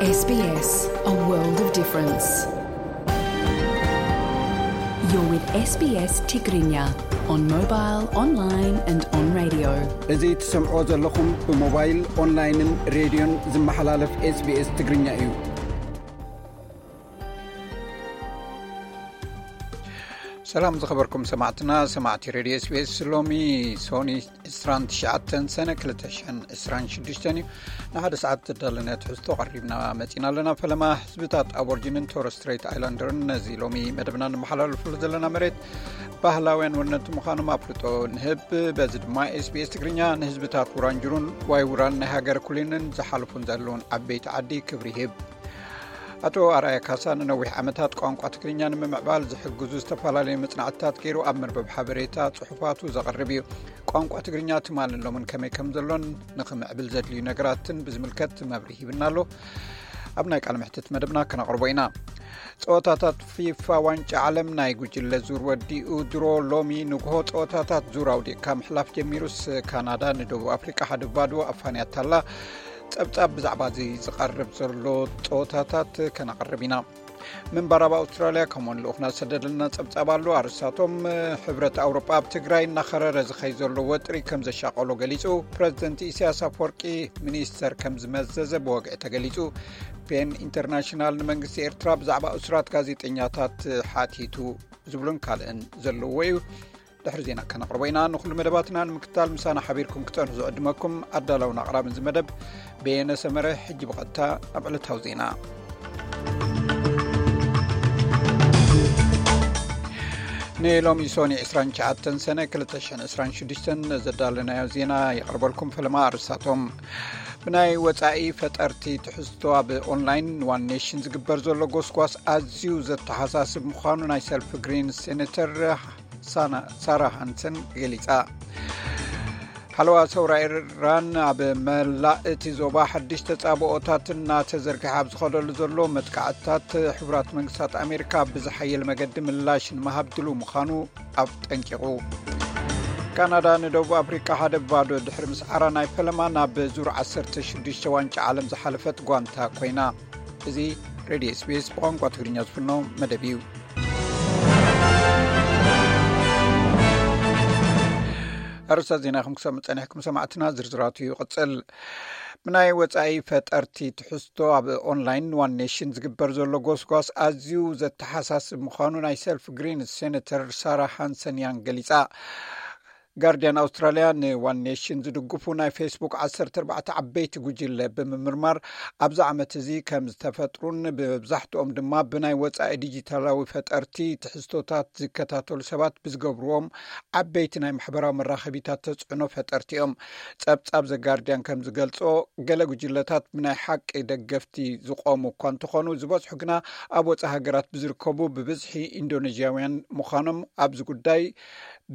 S B S, a world of difference. You're with S B S Tigrinya on mobile, online and on radio. እዚ ትሰምዖ ዘለኹም ብሞባይል፣ ኦንላይንን ሬድዮን ዝመሓላለፍ S B S ትግርኛ እዩ። ሰላም ዝኸበርኩም ሰማዕትና፣ ሰማዕቲ ሬድዮ S B S። ሎሚ ሶኒ ዕስራን ትሽዓተን ሰነ ክልተ ሽሕን ዕስራን ሽዱሽተን እዩ። ንሓደ ሰዓት ተዳለነ ትሕዝቶ ቀሪብና መጺና ኣለና። ፈለማ ህዝብታት ኣቦርጂንን ቶረስ ስትሬት ኣይላንደርን ነዚ ሎሚ መደብና ንመሓላለፍሉ ዘለና መሬት ባህላውያን ወነንቲ ምዃኖም ኣፍልጦ ንህብ። በዚ ድማ S B S ትግርኛ ንህዝብታት ውራንጅሩን ዋይ ውራን ናይ ሃገር ኩሊንን ዝሓልፉን ዘለውን ዓበይቲ ዓዲ ክብሪ ይህብ። ኣቶ ኣርኣያ ካሳ ንነዊሕ ዓመታት ቋንቋ ትግርኛ ንምምዕባል ዝሕግዙ ዝተፈላለዩ መጽናዕትታት ገይሩ ኣብ መርበብ ሓበሬታ ጽሑፋቱ ዘቕርብ እዩ። ቋንቋ ትግርኛ ትማልን ሎምን ከመይ ከም ዘሎን ንኽምዕብል ዘድልዩ ነገራትን ብዝምልከት መብርሂ ሂብና ኣሎ። ኣብ ናይ ቃል ምሕትት መደብና ከነቕርቦ ኢና። ጸወታታት ፊፋ ዋንጫ ዓለም ናይ ጉጅለ ዙር ወዲኡ። ድሮ ሎሚ ንግሆ ጸወታታት ዙር ኣውዲቕካ ምሕላፍ ጀሚሩስ፣ ካናዳ ንደቡብ ኣፍሪቃ ሓደ ባዶ ኣፋንያታላ። ጸብጻብ ብዛዕባ እዚ ዝቐርብ ዘሎ ጸወታታት ከነቕርብ ኢና። ምንባር ኣብ ኣውስትራልያ ከምኡውን ልኡኽና ዝሰደደልና ጸብጻብ ኣሎ። ኣርእስታቶም፣ ሕብረት ኣውሮጳ ኣብ ትግራይ እናኸረረ ዝኸይ ዘሎ ወጥሪ ከም ዘሻቐሎ ገሊጹ። ፕረዚደንት ኢሳያስ ኣፈወርቂ ሚኒስተር ከም ዝመዘዘ ብወግዒ ተገሊጹ። ፔን ኢንተርናሽናል ንመንግስቲ ኤርትራ ብዛዕባ እሱራት ጋዜጠኛታት ሓቲቱ ዝብሉን ካልእን ዘለዎ እዩ። ድሕሪ ዜና ከነቕርቦ ኢና። ንኹሉ መደባትና ንምክትታል ምሳና ሓቢርኩም ክጸንሑ ዝዕድመኩም ኣዳላውን ኣቕራብን እዚ መደብ በየነ ሰመረ። ሕጂ ብቐጥታ ናብ ዕለታዊ ዜና። ንሎሚ ሶኒ ዕስራን ትሽዓተን ሰነ ክልተ ሽሕን ዕስራን ሽዱሽተን ዘዳለናዮ ዜና የቕርበልኩም። ፈለማ ኣርእስታቶም። ብናይ ወጻኢ ፈጠርቲ ትሕዝቶ ኣብ ኦንላይን ዋን ኔሽን ዝግበር ዘሎ ጎስጓስ ኣዝዩ ዘተሓሳስብ ምዃኑ ናይ ሰልፊ ግሪን ሴኔተር ሳና-፣ ሳራ ሃንሰን ገሊጻ። ሓለዋ ሰውራ ኢራን ኣብ መላእ እቲ ዞባ ሓድሽ ተጻብኦታት እናተዘርግሐ ኣብ ዝኸደሉ ዘሎ መጥቃዕትታት፣ ሕቡራት መንግስታት ኣሜሪካ ብዝሓየለ መገዲ ምላሽ ንምሃብ ድሉው ምዃኑ ኣጠንቂቑ። ካናዳ ንደቡብ ኣፍሪቃ ሓደ ባዶ ድሕሪ ምስዓራ ናይ ፈለማ ናብ ዙር ዓሰርተ ሽዱሽተ ዋንጫ ዓለም ዝሓለፈት ጓንታ ኮይና። እዚ ሬድዮ S B S ብቋንቋ ትግርኛ ዝፍኖ መደብ እዩ። ኣርእስታት ዜና ኢኹም ክሰምዑ ጸኒሕኩም ሰማዕትና፣ ዝርዝራቱ ይቕጽል። ብናይ ወጻኢ ፈጠርቲ ትሕዝቶ ኣብ ኦንላይን ዋን ኔሽን ዝግበር ዘሎ ጎስጓስ ኣዝዩ ዘተሓሳስብ ምዃኑ ናይ ሰልፍ ግሪን ሴኔተር ሳራ ሃንሰን ያንግ ገሊጻ። ጋርዲያን ኣውስትራልያ ንዋን ኔሽን ዝድግፉ ናይ ፌስቡክ ዓሰርተ ኣርባዕተ ዓበይቲ ጉጅለ ብምምርማር፣ ኣብዚ ዓመት እዚ ከም ዝተፈጥሩን ብመብዛሕትኦም ድማ ብናይ ወጻኢ ዲጂታላዊ ፈጠርቲ ትሕዝቶታት ዝከታተሉ ሰባት ብዝገብርዎም ዓበይቲ ናይ ማሕበራዊ መራኸቢታት ተጽዕኖ ፈጠርቲ እዮም። ጸብጻብ ዘጋርዲያን ከም ዝገልጾ፣ ገለ ጉጅለታት ብናይ ሓቂ ደገፍቲ ዝቖሙ እኳ እንተኾኑ፣ ዝበዝሑ ግና ኣብ ወጻኢ ሃገራት ብዝርከቡ ብብዝሒ ኢንዶኔዥያውያን ምዃኖም ኣብዚ ጉዳይ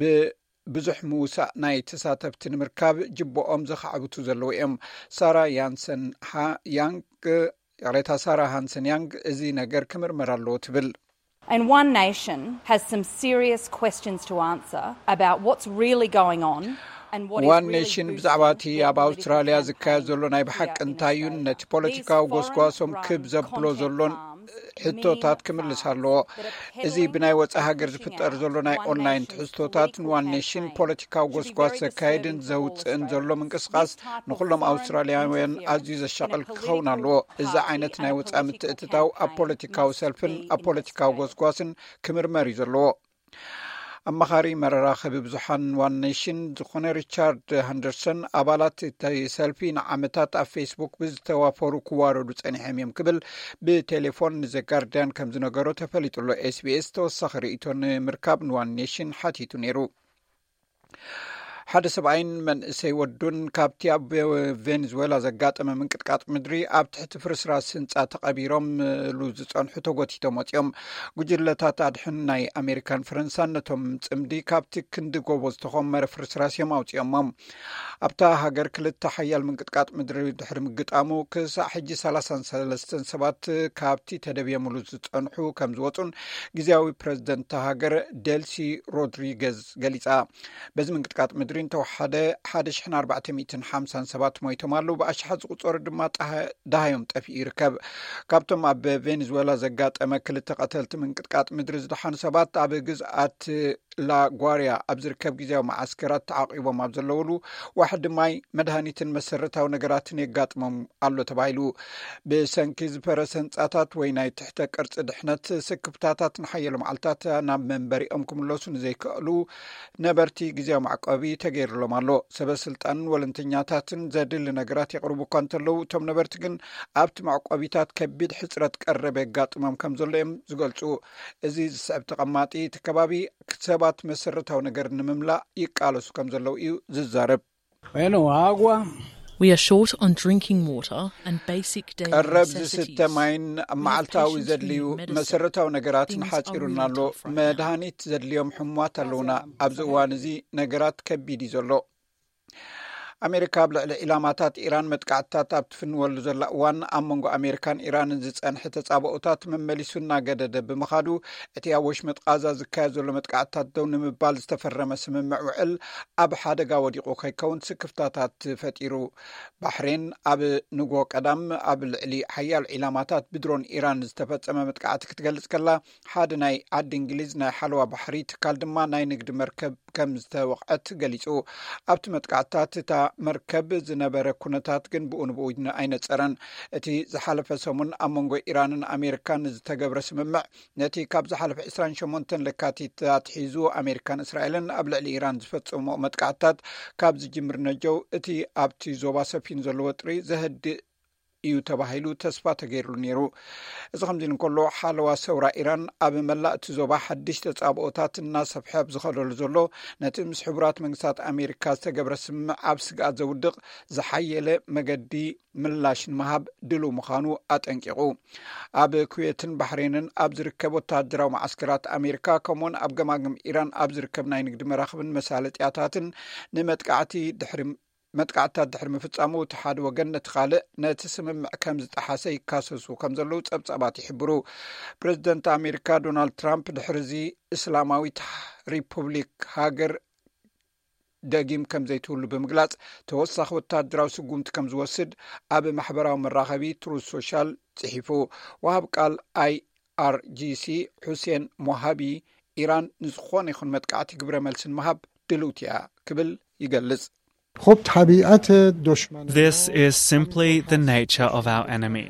ብ-፣ ብዙሕ ምውሳእ ናይ ተሳተፍቲ ንምርካብ ጅብኦም ዘኻዕብቱ ዘለዉ እዮም። ሳራ ያንሰን ሃ-፣ ያንግ፣ ይቕሬታ፣ ሳራ ሃንሰን ያንግ እዚ ነገር ክምርመር ኣለዎ ትብል። And One Nation has some serious questions to answer about what's really going on and what is ዋን really ኔሽን boosting ብዛዕባ እቲ their ኣብ political ኣውስትራልያ ዝካየድ ዘሎ ናይ ብሓቂ እንታይ እዩን ነቲ ፖለቲካዊ ጎስጓሶም ክብ ዘብሎ ዘሎን ሕቶታት ክምልስ ኣለዎ። እዚ ብናይ ወጻኢ ሃገር ዝፍጠር ዘሎ ናይ ኦንላይን ትሕዝቶታት ንዋን ኔሽን ፖለቲካዊ ጎስጓስ ዘካየድን ዘውጽእን ዘሎ ምንቅስቃስ ንኹሎም ኣውስትራልያውያን ኣዝዩ ዘሻቕል ክኸውን ኣለዎ። እዚ ዓይነት ናይ ወጻኢ ምትእትታው ኣብ ፖለቲካዊ ሰልፍን ኣብ ፖለቲካዊ ጎስጓስን ክምርመር እዩ ዘለዎ። ኣማኻሪ መራኸቢ ብዙሓን ዋን ኔሽን ዝኾነ ሪቻርድ ሃንደርሰን፣ ኣባላት እቲ ሰልፊ ንዓመታት ኣብ ፌስቡክ ብዝተዋፈሩ ክዋረዱ ጸኒሖም እዮም ክብል ብቴሌፎን ንዘጋርዲያን ከም ዝነገሮ ተፈሊጡ ኣሎ። S B S ተወሳኺ ርእይቶ ንምርካብ ንዋን ኔሽን ሓቲቱ ነይሩ። ሓደ ሰብኣይን መንእሰይ ወዱን ካብቲ ኣብ ቬኔዙዌላ ዘጋጠመ ምንቅጥቃጥ ምድሪ ኣብ ትሕቲ ፍርስራስ ህንጻ ተቐቢሮምሉ ዝጸንሑ ተጎቲቶም ወጺኦም። ጉጅለታት ኣድሕን ናይ ኣሜሪካን ፈረንሳን ነቶም ጽምዲ ካብቲ ክንዲ ጎቦ ዝተኾመረ ፍርስራስ እዮም ኣውጺኦሞም። ኣብታ ሃገር ክልተ ሓያል ምንቅጥቃጥ ምድሪ ድሕሪ ምግጣሙ፣ ክሳዕ ሕጂ ሰላሳን ሰለስተን ሰባት ካብቲ ተደብዮምሉ ዝጸንሑ ከም ዝወጹን ግዝያዊ ፕረዚደንት እታ ሃገር ደልሲ ሮድሪገዝ ገሊጻ። በዚ ምንቅጥቃጥ ምድሪ እንተወሓደ ሓደ ሽሕን ኣርባዕተ ሚእትን ሓምሳን ሰባት ሞይቶም ኣለዉ። ብኣሽሓት ዝቑጸሩ ድማ ጣሃ-፣ ደሃዮም ጠፊኡ ይርከብ። ካብቶም ኣብ ቬኔዙዌላ ዘጋጠመ ክልተ ቀተልቲ ምንቅጥቃጥ ምድሪ ዝደሓኑ ሰባት ኣብ ግዝኣት ላጓርያ ኣብ ዝርከብ ግዜያዊ መዓስከራት ተዓቂቦም ኣብ ዘለውሉ ዋሕዲ ማይ መድሃኒትን መሰረታዊ ነገራትን የጋጥሞም ኣሎ ተባሂሉ። ብሰንኪ ዝፈረሰ ህንጻታት ወይ ናይ ትሕተ ቅርጺ ድሕነት ስክፍታታት ንሓየሎ መዓልታት ናብ መንበሪኦም ክምለሱ ንዘይከእሉ ነበርቲ ግዜያዊ መዕቆቢ ተገይሩሎም ኣሎ። ሰበ ስልጣንን ወለንተኛታትን ዘድሊ ነገራት የቕርቡ እኳ እንተለዉ፣ እቶም ነበርቲ ግን ኣብቲ መዕቆቢታት ከቢድ ሕጽረት ቀረብ የጋጥሞም ከም ዘሎ እዮም ዝገልጹ። እዚ ዝስዕብ ተቐማጢ እቲ ከባቢ ሰባት መሰረታዊ ነገር ንምምላእ ይቃለሱ ከም ዘለዉ እዩ ዝዛረብ። Bueno, agua. We are short on drinking water and basic daily ቀረብ necessities. ዝስተ ማይን መዓልታዊ ዘድልዩ መሰረታዊ ነገራትን ሓፂሩና ኣሎ። መድሃኒት ዘድልዮም ሕሙማት ኣለውና። ኣብዚ እዋን እዚ ነገራት ከቢድ እዩ ዘሎ። ኣሜሪካ ኣብ ልዕሊ ዒላማታት ኢራን መጥቃዕትታት ኣብ ትፍንወሉ ዘላ እዋን፣ ኣብ መንጎ ኣሜሪካን ኢራንን ዝጸንሐ ተጻብኦታት መመሊሱ እናገደደ ብምኻዱ፣ እቲ ኣብ ወሽመጥ ቃዛ ዝካየድ ዘሎ መጥቃዕትታት ደው ንምባል ዝተፈረመ ስምምዕ ውዕል ኣብ ሓደጋ ወዲቑ ከይከውን ስክፍታታት ፈጢሩ። ባሕሬን ኣብ ንጎ ቀዳም ኣብ ልዕሊ ሓያሎ ዒላማታት ብድሮን ኢራን ዝተፈጸመ መጥቃዕቲ ክትገልጽ ከላ፣ ሓደ ናይ ዓዲ እንግሊዝ ናይ ሓለዋ ባሕሪ ትካል ድማ ናይ ንግዲ መርከብ ከም ዝተወቕዐት ገሊጹ። ኣብቲ መጥቃዕትታት እታ መርከብ ዝነበረ ኩነታት ግን ብኡ ንብኡ ኣይነጸረን። እቲ ዝሓለፈ ሰሙን ኣብ መንጎ ኢራንን ኣሜሪካን ዝተገብረ ስምምዕ፣ ነቲ ካብ ዝሓለፈ ዕስራን ሸሞንተን ለካቲት ኣትሒዙ ኣሜሪካን እስራኤልን ኣብ ልዕሊ ኢራን ዝፈጸሞ መጥቃዕትታት ካብ ዝጅምር ነጀው፣ እቲ ኣብቲ ዞባ ሰፊኑ ዘሎ ወጥሪ ዘህድእ እዩ ተባሂሉ ተስፋ ተገይሩሉ ነይሩ። እዚ ከምዚ እንከሎ፣ ሓለዋ ሰውራ ኢራን ኣብ መላእ እቲ ዞባ ሓድሽ ተጻብኦታት እናሰፍሐ ኣብ ዝኸደሉ ዘሎ፣ ነቲ ምስ ሕቡራት መንግስታት ኣሜሪካ ዝተገብረ ስምምዕ ኣብ ስግኣት ዘውድቕ ዝሓየለ መገዲ ምላሽ ንምሃብ ድሉው ምዃኑ ኣጠንቂቑ። ኣብ ኩዌትን ባሕሬንን ኣብ ዝርከብ ወተሃደራዊ መዓስከራት ኣሜሪካ፣ ከምኡውን ኣብ ገማግም ኢራን ኣብ ዝርከብ ናይ ንግዲ መራኽብን መሳለጥያታትን ንመጥቃዕቲ ድሕሪ መጥቃዕትታት ድሕሪ ምፍጻሙ፣ እቲ ሓደ ወገን ነቲ ካልእ ነቲ ስምምዕ ከም ዝጠሓሰ ይካሰሱ ከም ዘለዉ ጸብጻባት ይሕብሩ። ፕሬዚደንት ኣሜሪካ ዶናልድ ትራምፕ ድሕሪ እዚ እስላማዊት ሪፑብሊክ ሃገር ደጊም ከም ዘይትህሉ ብምግላጽ፣ ተወሳኺ ወታደራዊ ስጉምቲ ከም ዝወስድ ኣብ ማሕበራዊ መራኸቢ ትሩዝ ሶሻል ጽሒፉ። ወሃብ ቃል ኣይኣርጂሲ ሑሴን ሞሃቢ፣ ኢራን ንዝኾነ ይኹን መጥቃዕቲ ግብረ መልሲ ንምሃብ ድልውቲ እያ ክብል ይገልጽ። خب طبیعت دشمن This is simply the nature of our enemy.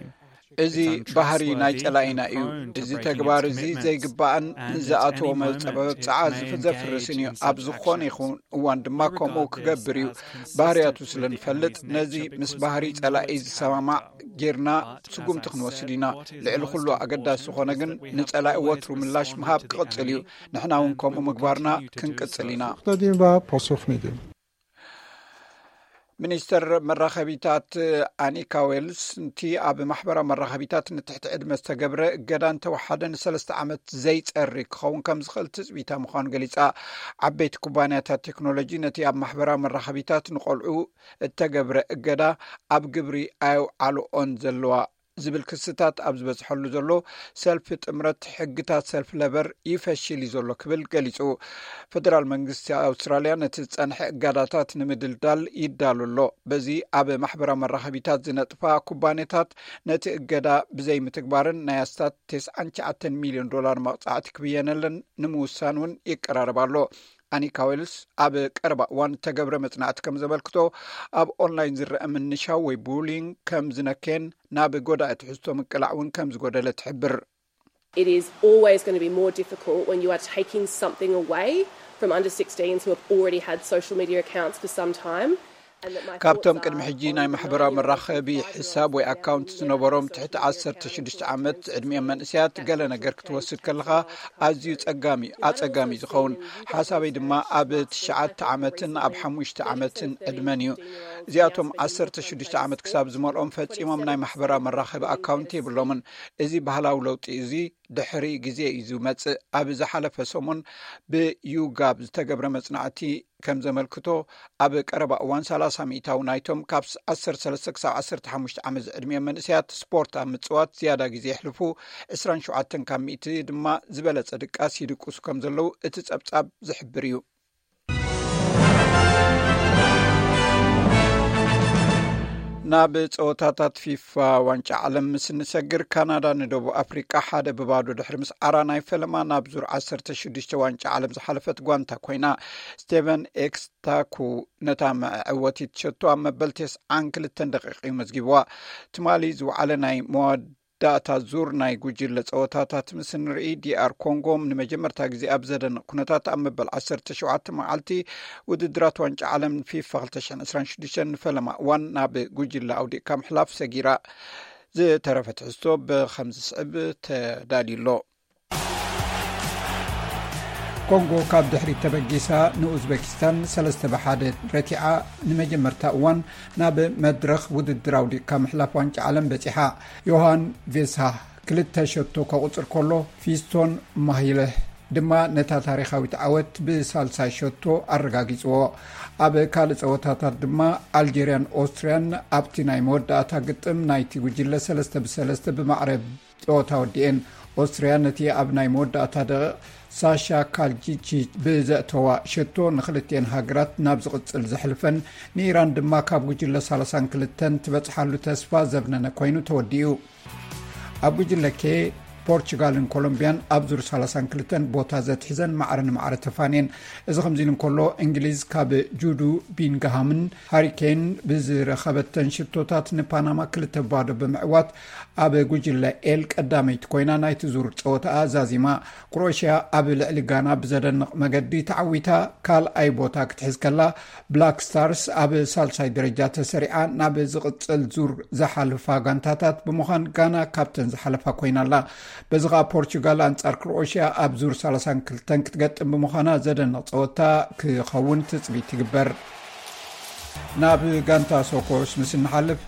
እዚ ባህሪ ናይ ጸላኢና እዩ። እዚ ተግባር እዚ ዘይግባእን ንዝኣተዎ መብጽዓ ዘፍርስን እዩ። ኣብ ዝኾነ ይኹን እዋን ድማ ከምኡ ክገብር እዩ። ባህርያቱ ስለ ንፈልጥ፣ ነዚ ምስ ባህሪ ጸላኢ ዝሰማማዕ ጌርና ስጉምቲ ክንወስድ ኢና። ልዕሊ ኩሉ ኣገዳሲ ዝኾነ ግን፣ ንጸላኢ ወትሩ ምላሽ ምሃብ ክቕጽል እዩ። ንሕና እውን ከምኡ ምግባርና ክንቅጽል ኢና። دادیم و پاسخ میدیم. ሚኒስተር መራኸቢታት ኣኒካ ዌልስ፣ ነቲ ኣብ ማሕበራዊ መራኸቢታት ንትሕቲ ዕድመ ዝተገብረ እገዳ እንተወሓደ ንሰለስተ ዓመት ዘይጸሪ ክኸውን ከም ዝኽእል ትጽቢታ ምዃኑ ገሊጻ። ዓበይቲ ኩባንያታት ቴክኖሎጂ ነቲ ኣብ ማሕበራዊ መራኸቢታት ንቆልዑ እተገብረ እገዳ ኣብ ግብሪ ኣየውዓልኦን ዘለዋ ዝብል ክስታት ኣብ ዝበዝሐሉ ዘሎ፣ ሰልፊ ጥምረት ሕግታት ሰልፊ ለበር ይፈሽል እዩ ዘሎ ክብል ገሊጹ። ፈደራል መንግስቲ ኣውስትራልያ ነቲ ዝጸንሐ እገዳታት ንምድልዳል ይዳሉ ኣሎ። በዚ ኣብ ማሕበራዊ መራኸቢታት ዝነጥፋ ኩባንያታት ነቲ እገዳ ብዘይምትግባርን ናይ ኣስታት ተስዓን ትሽዓተን ሚልዮን ዶላር መቕጻዕቲ ክብየነለን ንምውሳን እውን ይቀራረብ ኣሎ። ኣኒካ ዌልስ ኣብ ቀረባ እዋን እተገብረ መጽናዕቲ ከም ዘመልክቶ፣ ኣብ ኦንላይን ዝረአ ምንሻው ወይ ቡሊንግ ከም ዝነከየን ናብ ጎዳኢ ትሕዝቶ ምቅላዕ እውን ከም ዝጎደለ ትሕብር። It is always going to be more difficult when you are taking something away from under sixteens who have already had social media accounts for some time. ካብቶም ቅድሚ ሕጂ ናይ ማሕበራዊ መራኸቢ ሕሳብ ወይ ኣካውንት ዝነበሮም ትሕቲ ዓሰርተ ሽዱሽተ ዓመት ዕድሚኦም መንእሰያት ገለ ነገር ክትወስድ ከለኻ ኣዝዩ ጸጋሚ ኣጸጋሚ ዝኸውን። ሓሳበይ ድማ ኣብ ትሽዓተ ዓመትን ኣብ ሓሙሽተ ዓመትን ዕድመን እዩ። እዚኣቶም ዓሰርተ ሽዱሽተ ዓመት ክሳብ ዝመልኦም ፈጺሞም ናይ ማሕበራዊ መራኸቢ ኣካውንት የብሎምን። እዚ ባህላዊ ለውጢ እዚ ድሕሪ ግዜ እዩ ዝመጽእ። ኣብ ዝሓለፈ ሰሙን ብዩጋብ ዝተገብረ መጽናዕቲ ከም ዘመልክቶ፣ ኣብ ቀረባ እዋን ሰላሳ ሚእታዊ ናይቶም ካብ ዓሰርተ ሰለስተ ክሳብ ዓሰርተ ሓሙሽተ ዓመት ዝዕድሚኦም መንእሰያት ስፖርት ኣብ ምጽዋት ዝያዳ ግዜ የሕልፉ፣ ዕስራን ሸውዓተን ካብ ሚእቲ ድማ ዝበለጸ ድቃስ ይድቅሱ ከም ዘለዉ እቲ ጸብጻብ ዝሕብር እዩ። ናብ ጸወታታት ፊፋ ዋንጫ ዓለም ምስ እንሰግር፣ ካናዳ ንደቡብ ኣፍሪቃ ሓደ ብባዶ ድሕሪ ምስዓራ፣ ናይ ፈለማ ናብ ዙር ዓሰርተ ሽዱሽተ ዋንጫ ዓለም ዝሓለፈት ጓንታ ኮይና። ስቴቨን ኤክስታኩ ነታ መዕወቲት ሸቶ ኣብ መበል ተስዓን ክልተን ደቂቕ እዩ መዝጊብዋ። ትማሊ ዝወዓለ ናይ መወዳእታ ዙር ናይ ጉጅለ ጸወታታት ምስ ንርኢ፣ ዲኣር ኮንጎ ንመጀመርታ ግዜ ኣብ ዘደንቕ ኩነታት ኣብ መበል ዓሰርተ ሸውዓተ መዓልቲ ውድድራት ዋንጫ ዓለም ፊፋ ክልተ ሽሕን ዕስራን ሽዱሽተን ንፈለማ እዋን ናብ ጉጅለ ኣውዲቕካ ምሕላፍ ሰጊራ። ዝተረፈ ትሕዝቶ ብኸምዚ ስዕብ ተዳልዩ ኣሎ። ኮንጎ ካብ ድሕሪት ተበጊሳ ንኡዝቤኪስታን ሰለስተ ብ ሓደ ረቲዓ፣ ንመጀመርታ እዋን ናብ መድረኽ ውድድር ኣውዲቕካ ምሕላፍ ዋንጫ ዓለም በጺሓ። ዮሃን ቬሳ ክልተ ሸቶ ከቑጽር ከሎ፣ ፊስቶን ማሂለ ድማ ነታ ታሪኻዊት ዓወት ብሳልሳይ ሸቶ ኣረጋጊጽዎ። ኣብ ካልእ ጸወታታት ድማ ኣልጀርያን ኦስትርያን ኣብቲ ናይ መወዳእታ ግጥም ናይቲ ጉጅለ ሰለስተ ብ ሰለስተ ብማዕረ ጸወታ ወዲኤን። ኦስትርያ ነቲ ኣብ ናይ መወዳእታ ደቂቕ ሳሻ ካልጂቺ ብዘእተዋ ሸቶ ንክልቲኤን ሃገራት ናብ ዝቕጽል ዘሕልፈን፣ ንኢራን ድማ ካብ ጉጅለ ሰላሳን ክልተን ትበጽሓሉ ተስፋ ዘብነነ ኮይኑ ተወዲኡ። ኣብ ጉጅለ ኬ፣ ፖርቹጋልን ኮሎምቢያን ኣብ ዙር ሰላሳን ክልተን ቦታ ዘትሒዘን ማዕረ ንማዕረ ተፋንየን። እዚ ከምዚ ኢሉ እንከሎ፣ እንግሊዝ ካብ ጁዱ ቢንግሃምን ሃሪኬን ብዝረኸበተን ሽቶታት ንፓናማ ክልተ ባዶ ብምዕዋት፣ ኣብ ጉጅለ ኤል ቀዳመይቲ ኮይና ናይቲ ዙር ጸወታኣ ዛዚማ። ክሮኤሽያ ኣብ ልዕሊ ጋና ብዘደንቕ መገዲ ተዓዊታ ካልኣይ ቦታ ክትሕዝ ከላ፣ ብላክ ስታርስ ኣብ ሳልሳይ ደረጃ ተሰሪዓ ናብ ዝቕጽል ዙር ዝሓልፋ ጋንታታት ብምዃን፣ ጋና ካብተን ዝሓለፋ ኮይና ኣላ። በዚ ኸኣ ፖርቹጋል ኣንጻር ክሮኤሽያ ኣብ ዙር ሰላሳን ክልተን ክትገጥም ብምዃና፣ ዘደንቕ ጸወታ ክኸውን ትጽቢት ይግበር። ናብ ጋንታ ሶኮርስ ምስ እንሓልፍ፣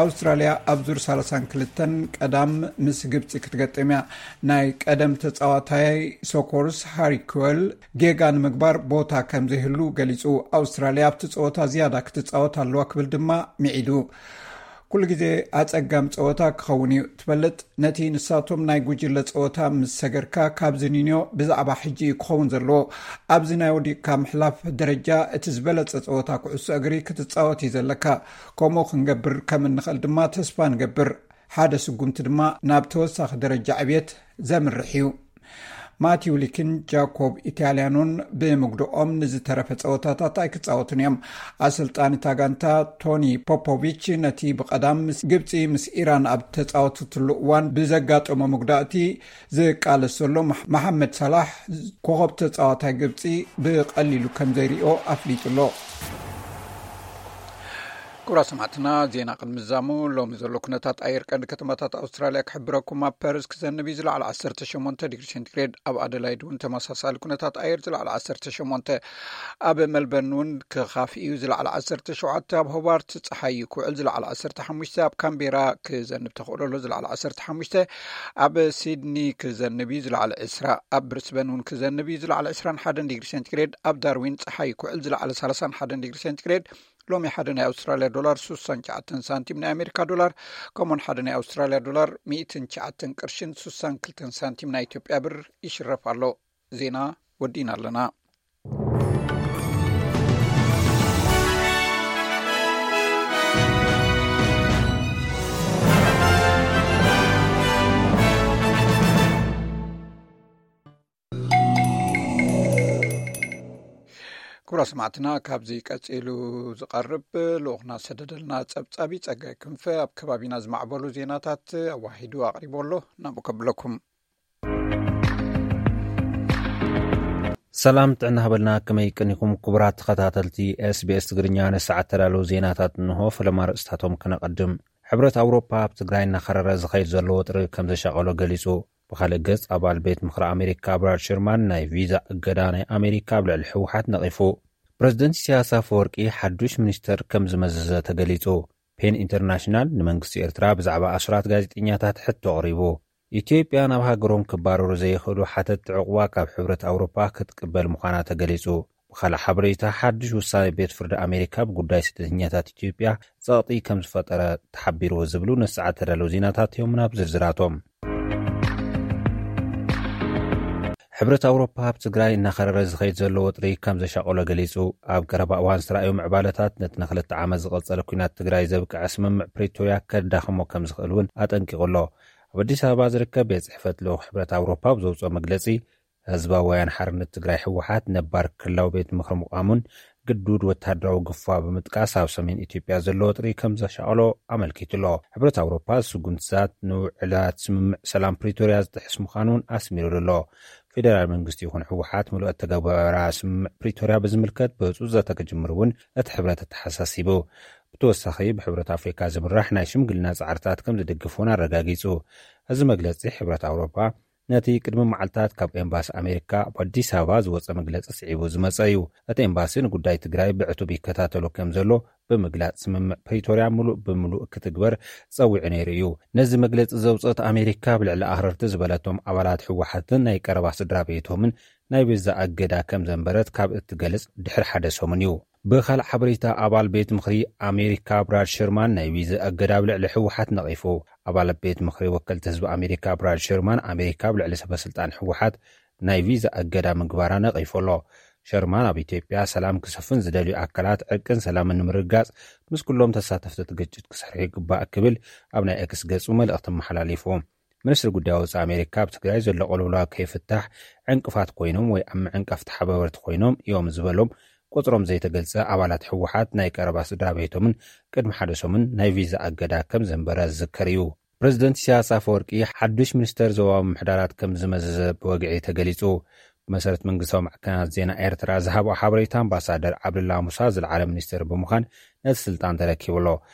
ኣውስትራልያ ኣብ ዙር ሰላሳን ክልተን ቀዳም ምስ ግብጺ ክትገጥም እያ። ናይ ቀደም ተጻዋታይ ሶኮርስ ሃሪ ኩወል ጌጋ ንምግባር ቦታ ከም ዘይህሉ ገሊጹ። ኣውስትራልያ ኣብቲ ጸወታ ዝያዳ ክትጻወት ኣለዋ ክብል ድማ ሚዒዱ። ኩሉ ግዜ ኣጸጋም ጸወታ ክኸውን እዩ። ትፈልጥ፣ ነቲ ንሳቶም ናይ ጉጅለ ጸወታ ምስ ሰገርካ፣ ካብዚ ንንዮ ብዛዕባ ሕጂ እዩ ክኸውን ዘለዎ። ኣብዚ ናይ ወዲቕካ ምሕላፍ ደረጃ፣ እቲ ዝበለጸ ጸወታ ኩዕሶ እግሪ ክትጻወት እዩ ዘለካ። ከምኡ ክንገብር ከም እንኽእል ድማ ተስፋ ንገብር። ሓደ ስጉምቲ ድማ ናብ ተወሳኺ ደረጃ ዕብየት ዘምርሕ እዩ። ማቲው ሊክን ጃኮብ ኢታልያኖን ብምጉድኦም ንዝተረፈ ጸወታታት ኣይክጻወቱን እዮም። ኣሰልጣኒ እታ ጋንታ ቶኒ ፖፖቪች፣ ነቲ ብቐዳም ምስ ግብጺ ምስ ኢራን ኣብ ተጻወትትሉ እዋን ብዘጋጠሞ መጉዳእቲ ዝቃለስ ዘሎ መሕ-፣ መሓመድ ሳላሕ፣ ኮኸብ ተጻዋታይ ግብጺ፣ ብቐሊሉ ከም ዘይሪኦ ኣፍሊጡ ኣሎ። ክቡራት ሰማዕትና፣ ዜና ቅድሚ ምዛሙ፣ ሎሚ ዘሎ ኩነታት ኣየር ቀንዲ ከተማታት ኣውስትራልያ ክሕብረኩም። ኣብ ፐርስ ክዘንብ እዩ፣ ዝለዓለ ዓሰርተ ሸሞንተ ዲግሪ ሴንቲግሬድ። ኣብ ኣደላይድ እውን ተመሳሳሊ ኩነታት ኣየር፣ ዝለዓለ ዓሰርተ ሸሞንተ። ኣብ ሜልበርን እውን ክኻፍእ እዩ፣ ዝለዓለ ዓሰርተ ሸውዓተ። ኣብ ሆባርት ጸሓይ እዩ ክውዕል፣ ዝለዓለ ዓሰርተ ሓሙሽተ። ኣብ ካምቤራ ክዘንብ ተኽእሎ ኣሎ፣ ዝለዓለ ዓሰርተ ሓሙሽተ። ኣብ ሲድኒ ክዘንብ እዩ፣ ዝለዓለ ዕስራ። ኣብ ብሪስበን እውን ክዘንብ እዩ፣ ዝለዓለ ዕስራን ሓደን ዲግሪ ሴንቲግሬድ። ኣብ ዳርዊን ጸሓይ ክውዕል፣ ዝለዓለ ሰላሳን ሓደን ዲግሪ ሴንቲግሬድ። ሎሚ ሓደ ናይ ኣውስትራልያ ዶላር ሱሳን ትሽዓተን ሳንቲም ናይ ኣሜሪካ ዶላር፣ ከምኡን ሓደ ናይ ኣውስትራልያ ዶላር ሚእትን ትሽዓተን ቅርሽን ሱሳን ክልተን ሳንቲም ናይ ኢትዮጵያ ብር ይሽረፍ ኣሎ። ዜና ወዲእና ኣለና። ክቡራት ሰማዕትና፣ ካብዚ ቀጺሉ ዝቐርብ ልኡኽና ዝሰደደልና ጸብጻብ እዩ። ጸጋይ ክንፈ ኣብ ከባቢና ዝማዕበሉ ዜናታት ኣዋሂዱ ኣቕሪቡ ኣሎ። ናብኡ ከብለኩም። ሰላም ጥዕና ሃበልና፣ ከመይ ቀኒኹም ክቡራት ተኸታተልቲ ኤስቢኤስ ትግርኛ? ንሰዓት ተዳለዉ ዜናታት እንሆ። ፈለማ ርእስታቶም ከነቐድም። ሕብረት ኣውሮፓ ኣብ ትግራይ እናኸረረ ዝኸይድ ዘሎ ወጥሪ ከም ዘሻቐሎ ገሊጹ። ብኻልእ ገጽ፣ ኣባል ቤት ምኽሪ ኣሜሪካ ብራድ ሸርማን ናይ ቪዛ እገዳ ናይ ኣሜሪካ ኣብ ልዕሊ ህወሓት ነቒፉ። ፕረዚደንት ኢሳያስ ኣፈወርቂ ሓዱሽ ሚኒስተር ከም ዝመዘዘ ተገሊጹ። ፔን ኢንተርናሽናል ንመንግስቲ ኤርትራ ብዛዕባ ኣስራት ጋዜጠኛታት ሕቶ ኣቕሪቡ። ኢትዮጵያ ናብ ሃገሮም ክባረሩ ዘይኽእሉ ሓተትቲ ዕቑባ ካብ ሕብረት ኣውሮፓ ክትቅበል ምዃና ተገሊጹ። ብኻልእ ሓበሬታ፣ ሓድሽ ውሳኔ ቤት ፍርዲ ኣሜሪካ ብጉዳይ ስደተኛታት ኢትዮጵያ ጸቕጢ ከም ዝፈጠረ ተሓቢሩ ዝብሉ ነሰዓት ተዳለዉ ዜናታት እዮም። ናብ ዝርዝራቶም። ሕብረት ኣውሮፓ ኣብ ትግራይ እናኸረረ ዝኸይድ ዘሎ ወጥሪ ከም ዘሻቐሎ ገሊጹ። ኣብ ቀረባ እዋን ዝተራእዩ ምዕባለታት ነቲ ንክልተ ዓመት ዝቐጸለ ኲናት ትግራይ ዘብቅዐ ስምምዕ ፕሪቶርያ ከዳኽሞ ከም ዝኽእል እውን ኣጠንቂቑ ኣሎ። ኣብ ኣዲስ ኣበባ ዝርከብ ቤት ጽሕፈት ልኡኽ ሕብረት ኣውሮፓ ኣብ ዘውፅኦ መግለጺ፣ ህዝባዊ ወያነ ሓርነት ትግራይ ህወሓት ነባር ክልላዊ ቤት ምኽሪ ምቋሙን ግዱድ ወታደራዊ ግፋ ብምጥቃስ ኣብ ሰሜን ኢትዮጵያ ዘሎ ወጥሪ ከም ዘሻቐሎ ኣመልኪቱ ኣሎ። ሕብረት ኣውሮፓ ስጉምትታት ንውዕላት ስምምዕ ሰላም ፕሪቶርያ ዝጥሕስ ምዃኑ እውን ኣስሚሩሉ ኣሎ። ፌደራል መንግስቲ ይኹን ህወሓት ምሉእ ኣተገባብራ ስምምዕ ፕሪቶርያ ብዝምልከት ብህፁፅ ዘተ ክጅምር እውን እቲ ሕብረት ኣተሓሳሲቡ። ብተወሳኺ ብሕብረት ኣፍሪካ ዝምራሕ ናይ ሽምግልና ፃዕርታት ከም ዝድግፍ እውን ኣረጋጊፁ። እዚ መግለፂ ሕብረት ኣውሮፓ ነቲ ቅድሚ መዓልታት ካብ ኤምባሲ ኣሜሪካ ኣብ ኣዲስ ኣበባ ዝወፀ መግለፂ ስዒቡ ዝመፀ እዩ። እቲ ኤምባሲ ንጉዳይ ትግራይ ብዕቱብ ይከታተሎ ከም ዘሎ ብምግላፅ፣ ስምምዕ ፕሪቶርያ ምሉእ ብምሉእ ክትግበር ፀዊዑ ነይሩ እዩ። ነዚ መግለፂ ዘውፅአት ኣሜሪካ፣ ኣብ ልዕሊ ኣኽረርቲ ዝበለቶም ኣባላት ህወሓትን ናይ ቀረባ ስድራ ቤቶምን ናይ ቪዛ እገዳ ከም ዘንበረት ካብ እትገልጽ ድሕሪ ሓደ ሰሙን እዩ። ብኻልእ ሓበሬታ፣ ኣባል ቤት ምኽሪ ኣሜሪካ ብራድ ሸርማን ናይ ቪዛ እገዳ ኣብ ልዕሊ ህወሓት ነቒፉ። ኣባል ቤት ምኽሪ ወከልቲ ህዝቢ ኣሜሪካ ብራድ ሸርማን፣ ኣሜሪካ ኣብ ልዕሊ ሰበ ስልጣን ህወሓት ናይ ቪዛ እገዳ ምግባራ ነቒፉ ኣሎ። ሸርማን፣ ኣብ ኢትዮጵያ ሰላም ክሰፍን ዝደልዩ ኣካላት ዕርቅን ሰላምን ንምርጋጽ ምስ ኩሎም ተሳተፍቲ እቲ ግጭት ክሰርሑ ይግባእ ክብል ኣብ ናይ ኤክስ ገጹ መልእኽቲ ኣመሓላሊፉ። ሚኒስትሪ ጉዳይ ወጻኢ ኣሜሪካ፣ ኣብ ትግራይ ዘሎ ቅልውላው ከይፍታሕ ዕንቅፋት ኮይኖም ወይ ኣብ ምዕንቃፍ ተሓባበርቲ ኮይኖም እዮም ዝበሎም ቁጽሮም ዘይተገልጸ ኣባላት ህወሓት፣ ናይ ቀረባ ስድራ ቤቶምን ቅድሚ ሓደ ሰሙን ናይ ቪዛ እገዳ ከም ዘንበረ ዝዝከር እዩ። ፕሬዚደንት ኢሳያስ ኣፈወርቂ ሓዱሽ ሚኒስተር ዞባዊ ምምሕዳራት ከም ዝመዘዘ ብወግዒ ተገሊጹ። ብመሰረት መንግስታዊ ማዕከናት ዜና ኤርትራ ዝሃብኦ ሓበሬታ፣ ኣምባሳደር ዓብደላ ሙሳ ዝለዓለ ሚኒስተር ብምዃን ነቲ ስልጣን ተረኪቡ ኣሎ።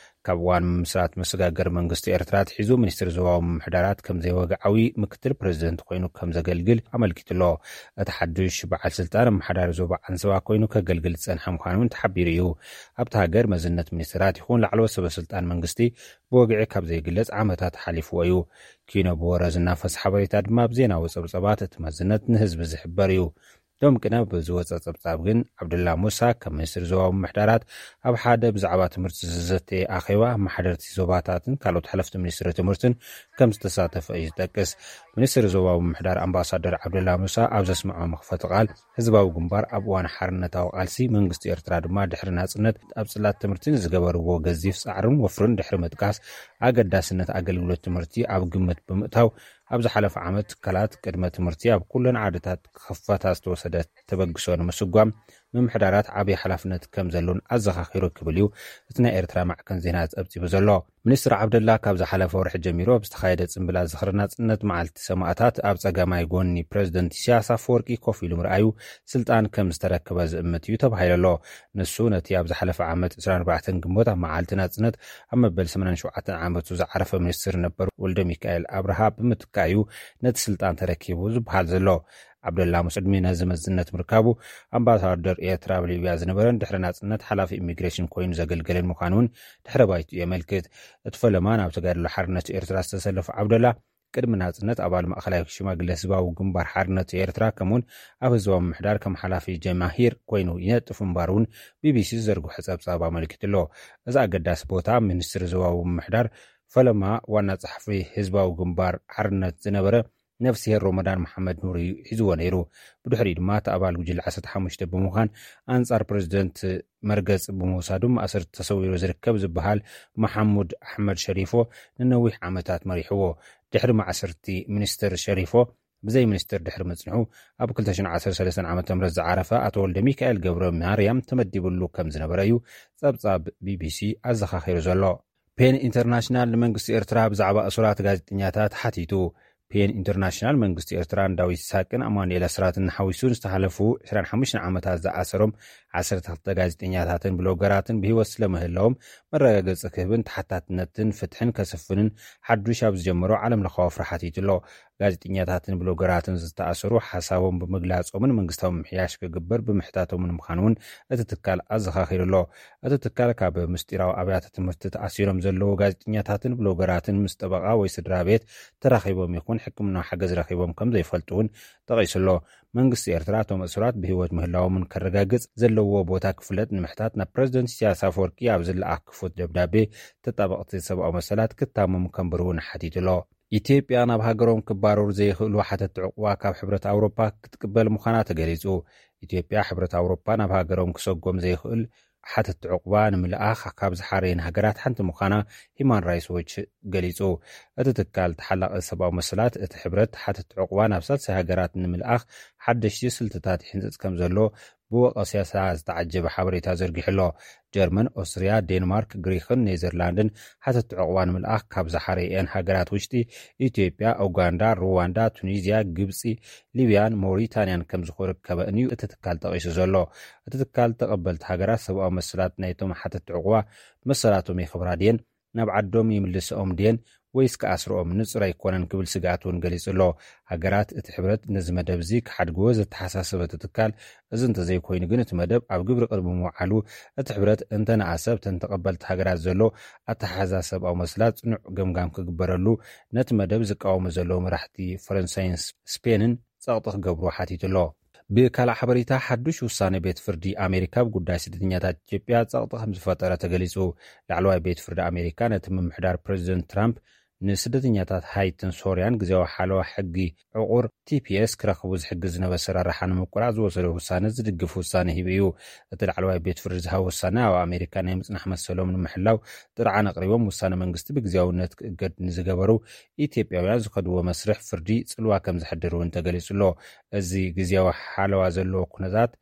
ካብ እዋን ምምስራት መሰጋገሪ መንግስቲ ኤርትራ ኣትሒዙ፣ ሚኒስትሪ ዞባዊ ምምሕዳራት ከም ዘይወግዓዊ ምክትል ፕሬዚደንት ኮይኑ ከም ዘገልግል ኣመልኪቱ ኣሎ። እቲ ሓዱሽ በዓል ስልጣን፣ ኣመሓዳሪ ዞባ ዓንሰባ ኮይኑ ከገልግል ዝጸንሐ ምዃኑ እውን ተሓቢሩ እዩ። ኣብታ ሃገር መዝነት ሚኒስትራት ይኹን ላዕለዎት ሰበ ስልጣን መንግስቲ ብወግዒ ካብ ዘይግለጽ ዓመታት ሓሊፍዎ እዩ። ኪኖ ብወረ ዝናፈስ ሓበሬታ ድማ፣ ኣብ ዜናዊ ጸብጻባት እቲ መዝነት ንህዝቢ ዝሕበር እዩ። ሎም ቅነ ብዝወጸ ጸብጻብ ግን፣ ዓብደላ ሙሳ ከም ሚኒስትሪ ዞባዊ ምምሕዳራት ኣብ ሓደ ብዛዕባ ትምህርቲ ዝዘተየ ኣኼባ፣ ኣመሓደርቲ ዞባታትን ካልኦት ሓለፍቲ ሚኒስትሪ ትምህርትን ከም ዝተሳተፈ እዩ ዝጠቅስ። ሚኒስትሪ ዞባዊ ምምሕዳር ኣምባሳደር ዓብደላ ሙሳ ኣብ ዘስምዖ መኽፈቲ ቃል፣ ህዝባዊ ግንባር ኣብ እዋን ሓርነታዊ ቃልሲ፣ መንግስቲ ኤርትራ ድማ ድሕሪ ናጽነት ኣብ ጽላት ትምህርቲ ንዝገበርዎ ገዚፍ ጻዕርን ወፍርን ድሕሪ ምጥቃስ፣ ኣገዳስነት ኣገልግሎት ትምህርቲ ኣብ ግምት ብምእታው፣ ኣብ ዝሓለፈ ዓመት ትካላት ቅድመ ትምህርቲ ኣብ ኩለን ዓድታት ክኸፈታ ዝተወሰደ ተበግሶ ንምስጓም ምምሕዳራት ዓብዪ ሓላፍነት ከም ዘሎን ኣዘኻኺሩ ክብል እዩ እቲ ናይ ኤርትራ ማዕከን ዜና ጸብጺቡ ዘሎ። ሚኒስትር ዓብደላ ካብ ዝሓለፈ ወርሒ ጀሚሩ ኣብ ዝተኻየደ ጽምብል ዝኽሪ ናጽነት፣ መዓልቲ ሰማእታት፣ ኣብ ጸጋማይ ጎኒ ፕሬዚደንት ኢሳያስ ኣፈወርቂ ኮፍ ኢሉ ምርኣዩ፣ ስልጣን ከም ዝተረከበ ዝእምት እዩ ተባሂሉ ኣሎ። ንሱ ነቲ ኣብ ዝሓለፈ ዓመት ዕስራን ኣርባዕተን ግንቦት ኣብ መዓልቲ ናጽነት ኣብ መበል ሰማንያን ሸውዓተን ዓመቱ ዝዓረፈ ሚኒስትር ነበር ወልደ ሚካኤል ኣብርሃ ብምትካእ እዩ ነቲ ስልጣን ተረኪቡ ዝበሃል ዘሎ። ዓብደላ ሙሳ ቅድሚ ነዚ መዝነት ምርካቡ፣ ኣምባሳደር ኤርትራ ኣብ ሊብያ ዝነበረን ድሕሪ ናጽነት ሓላፊ ኢሚግሬሽን ኮይኑ ዘገልገለን ምዃኑ እውን ድሕረ ባይትኡ የመልክት። እቲ ፈለማ ናብ ተጋድሎ ሓርነት ኤርትራ ዝተሰለፈ ዓብደላ፣ ቅድሚ ናጽነት ኣባል ማእኸላይ ሽማግለ ህዝባዊ ግንባር ሓርነት ኤርትራ፣ ከምኡውን ኣብ ህዝባዊ ምምሕዳር ከም ሓላፊ ጀማሂር ኮይኑ ይነጥፍ ምንባሩ እውን ቢቢሲ ዝዘርግሖ ጸብጻብ ኣመልኪቱ ኣሎ። እዚ ኣገዳሲ ቦታ፣ ሚኒስትሪ ህዝባዊ ምምሕዳር፣ ፈለማ ዋና ጸሓፊ ህዝባዊ ግንባር ሓርነት ዝነበረ ነፍስሄር ሮመዳን መሓመድ ኑር እዩ ሒዝዎ ነይሩ። ብድሕሪኡ ድማ እቲ ኣባል ጉጅለ ዓሰርተ ሓሙሽተ ብምዃን ኣንጻር ፕሬዚደንት መርገጺ ብምውሳዱ ማእሰርቲ ተሰዊሩ ዝርከብ ዝበሃል መሓሙድ ኣሕመድ ሸሪፎ ንነዊሕ ዓመታት መሪሕዎ። ድሕሪ ማእሰርቲ ሚኒስትር ሸሪፎ ብዘይ ሚኒስትር ድሕሪ ምጽንሑ፣ ኣብ ክልተ ሽሕን ዓሰርተ ሰለስተን ዓመተ ምህረት ዝዓረፈ ኣቶ ወልደ ሚካኤል ገብረ ማርያም ተመዲብሉ ከም ዝነበረ እዩ ጸብጻብ ቢቢሲ ኣዘኻኺሩ ዘሎ። ፔን ኢንተርናሽናል ንመንግስቲ ኤርትራ ብዛዕባ እሱራት ጋዜጠኛታት ሓቲቱ። ፔን ኢንተርናሽናል መንግስቲ ኤርትራን ዳዊት ይስሃቅን ኣማኑኤል ኣስራትን ሓዊሱ ንዝተሓለፉ ዕስራን ሓሙሽተን ዓመታት ዝኣሰሮም ዓሰርተ ክልተ ጋዜጠኛታትን ብሎገራትን ብህይወት ስለምህላዎም መረጋገጺ ክህብን ተሓታትነትን ፍትሕን ከስፍንን ሓዱሽ ኣብ ዝጀመሮ ዓለም ለኻዊ ወፍሪ ሓቲቱ ኣሎ። ጋዜጠኛታትን ብሎገራትን ዝተኣሰሩ፣ ሓሳቦም ብምግላጾምን መንግስታዊ ምምሕያሽ ክግበር ብምሕታቶምን ምዃኑ እውን እቲ ትካል ኣዘኻኺሩ ኣሎ። እቲ ትካል፣ ካብ ምስጢራዊ ኣብያተ ትምህርቲ ተኣሲሮም ዘለዉ ጋዜጠኛታትን ብሎገራትን ምስ ጠበቓ ወይ ስድራ ቤት ተራኺቦም ይኹን ሕክምናዊ ሓገዝ ረኺቦም ከም ዘይፈልጡ እውን ጠቒሱ ኣሎ። መንግስቲ ኤርትራ፣ እቶም እሱራት ብህይወት ምህላዎምን ከረጋግጽ ዘለዎ ቦታ ክፍለጥ ንምሕታት ናብ ፕሬዚደንት ኢሳያስ ኣፈወርቂ ኣብ ዝለኣኽ ክፉት ደብዳቤ፣ ተጣበቕቲ ሰብኣዊ መሰላት ክታመሙ ከንብሩ እውን ሓቲቱ ኣሎ። ኢትዮጵያ ናብ ሃገሮም ክባረሩ ዘይኽእሉ ሓተቲ ዕቑባ ካብ ሕብረት ኣውሮፓ ክትቅበል ምዃና ተገሊጹ። ኢትዮጵያ ሕብረት ኣውሮፓ ናብ ሃገሮም ክሰጎም ዘይኽእል ሓተቲ ዕቑባ ንምልኣኽ ካብ ዝሓረየን ሃገራት ሓንቲ ምዃና ሂማን ራይትስ ዎች ገሊጹ። እቲ ትካል ተሓላቒ ሰብኣዊ መሰላት እቲ ሕብረት ሓተቲ ዕቑባ ናብ ሳልሳይ ሃገራት ንምልኣኽ ሓደሽቲ ስልትታት ይሕንጽጽ ከም ዘሎ ብወቐሳ ዝተዓጀበ ሓበሬታ ዘርጊሑ ኣሎ። ጀርመን፣ ኦስትርያ፣ ዴንማርክ፣ ግሪክን ኔዘርላንድን ሓተቲ ዕቑባ ንምልኣኽ ካብ ዝሓረየን ሃገራት ውሽጢ ኢትዮጵያ፣ ኡጋንዳ፣ ሩዋንዳ፣ ቱኒዝያ፣ ግብጺ፣ ሊብያን ሞሪታንያን ከም ዝርከበን እዩ እቲ ትካል ጠቒሱ ዘሎ። እቲ ትካል ተቐበልቲ ሃገራት ሰብኣዊ መሰላት ናይቶም ሓተቲ ዕቑባ መሰላቶም የኽብራ ድየን፣ ናብ ዓዶም ይምልስኦም ድየን ወይስ ክኣስርኦም ንጹር ኣይኮነን ክብል ስግኣት እውን ገሊጹ ኣሎ። ሃገራት እቲ ሕብረት ነዚ መደብ እዚ ክሓድግዎ ዘተሓሳሰበ እቲ ትካል፣ እዚ እንተዘይኮይኑ ግን እቲ መደብ ኣብ ግብሪ ቅድሚ ምውዓሉ እቲ ሕብረት እንተነኣሰ ኣብተን ተቐበልቲ ሃገራት ዘሎ ኣተሓሕዛ ሰብኣዊ መሰላት ጽኑዕ ገምጋም ክግበረሉ ነቲ መደብ ዝቃወሙ ዘለዉ መራሕቲ ፈረንሳይን ስፔንን ጸቕጢ ክገብሩ ሓቲቱ ኣሎ። ብካልእ ሓበሬታ፣ ሓዱሽ ውሳነ ቤት ፍርዲ ኣሜሪካ ኣብ ጉዳይ ስደተኛታት ኢትዮጵያ ጸቕጢ ከም ዝፈጠረ ተገሊጹ። ላዕለዋይ ቤት ፍርዲ ኣሜሪካ ነቲ ምምሕዳር ፕሬዚደንት ትራምፕ ንስደተኛታት ሃይትን ሶርያን ግዜያዊ ሓለዋ ሕጊ ዕቑር ቲ ፒ ኤስ ክረኽቡ ዝሕግዝ ዝነበረ ኣሰራርሓ ንምቁራጽ ዝወሰዶ ውሳነ ዝድግፍ ውሳነ ሂቡ እዩ። እቲ ላዕለዋይ ቤት ፍርዲ ዝሃቦ ውሳነ ኣብ ኣሜሪካ ናይ ምጽናሕ መሰሎም ንምሕላው ጥርዓን ኣቕሪቦም ውሳነ መንግስቲ ብግዜያውነት ክእገድ ንዝገበሩ ኢትዮጵያውያን ዝኸድዎ መስርሕ ፍርዲ ጽልዋ ከም ዘሕድር እውን ተገሊጹ ኣሎ። እዚ ግዜያዊ ሓለዋ ዘለዎ ኩነታት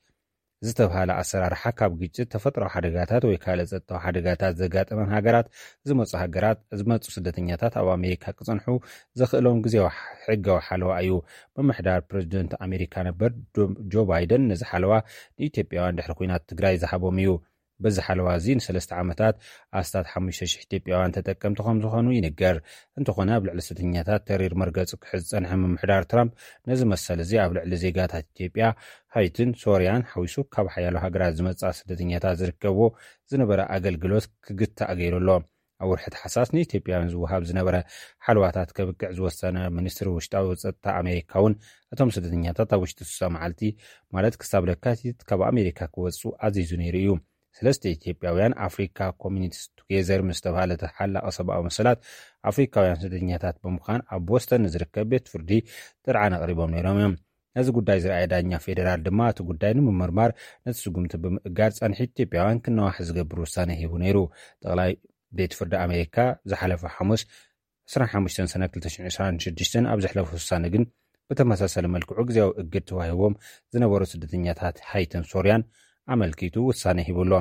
ዝተብሃለ ኣሰራርሓ ካብ ግጭት፣ ተፈጥሮዊ ሓደጋታት ወይ ካልእ ጸጥታዊ ሓደጋታት ዘጋጠመን ሃገራት ዝመጹ ሃገራት ዝመጹ ስደተኛታት ኣብ ኣሜሪካ ክጸንሑ ዘኽእሎም ግዜያዊ ሕጋዊ ሓለዋ እዩ። ምምሕዳር ፕሬዚደንት ኣሜሪካ ነበር ዶ- ጆ ባይደን ነዚ ሓለዋ ንኢትዮጵያውያን ድሕሪ ኲናት ትግራይ ዝሃቦም እዩ። በዚ ሓለዋ እዚ ንሰለስተ ዓመታት ኣስታት ሓሙሽተ ሽሕ ኢትዮጵያውያን ተጠቀምቲ ከም ዝኾኑ ይንገር። እንተኾነ ኣብ ልዕሊ ስደተኛታት ተሪር መርገጺ ክሕዝ ዝጸንሐ ምምሕዳር ትራምፕ ነዚ መሰል እዚ ኣብ ልዕሊ ዜጋታት ኢትዮጵያ፣ ሃይትን ሶርያን ሓዊሱ ካብ ሓያሎ ሃገራት ዝመጽኣ ስደተኛታት ዝርከብዎ ዝነበረ ኣገልግሎት ክግታእ ገይሩ ኣሎ። ኣብ ወርሒ ታሕሳስ ንኢትዮጵያውያን ዝወሃብ ዝነበረ ሓለዋታት ከብቅዕ ዝወሰነ ሚኒስትሪ ውሽጣዊ ጸጥታ ኣሜሪካ እውን እቶም ስደተኛታት ኣብ ውሽጢ ስሳ መዓልቲ ማለት ክሳብ ለካቲት ካብ ኣሜሪካ ክወጹ ኣዚዙ ነይሩ እዩ። ሰለስተ ኢትዮጵያውያን ኣፍሪካ ኮሚኒቲስ ቱጌዘር ምስ ተባሃለ ተሓላቒ ሰብኣዊ መሰላት ኣፍሪካውያን ስደተኛታት ብምዃን ኣብ ቦስተን ንዝርከብ ቤት ፍርዲ ጥርዓን ኣቕሪቦም ነይሮም እዮም። ነዚ ጉዳይ ዝረኣየ ዳኛ ፌዴራል ድማ እቲ ጉዳይ ንምምርማር ነቲ ስጉምቲ ብምእጋድ ጸንሒ ኢትዮጵያውያን ክነዋሕ ዝገብር ውሳነ ሂቡ ነይሩ። ጠቕላይ ቤት ፍርዲ ኣሜሪካ ዝሓለፈ ሓሙስ ዕስራን ሓሙሽተን ሰነ ክልተ ሽሕን ዕስራን ሽዱሽተን ኣብ ዘሕለፎ ውሳነ ግን ብተመሳሳሊ መልክዑ ግዜያዊ እግድ ተዋሂቦም ዝነበሩ ስደተኛታት ሃይትን ሶርያን ኣመልኪቱ ውሳነ ሂቡ ኣሎ።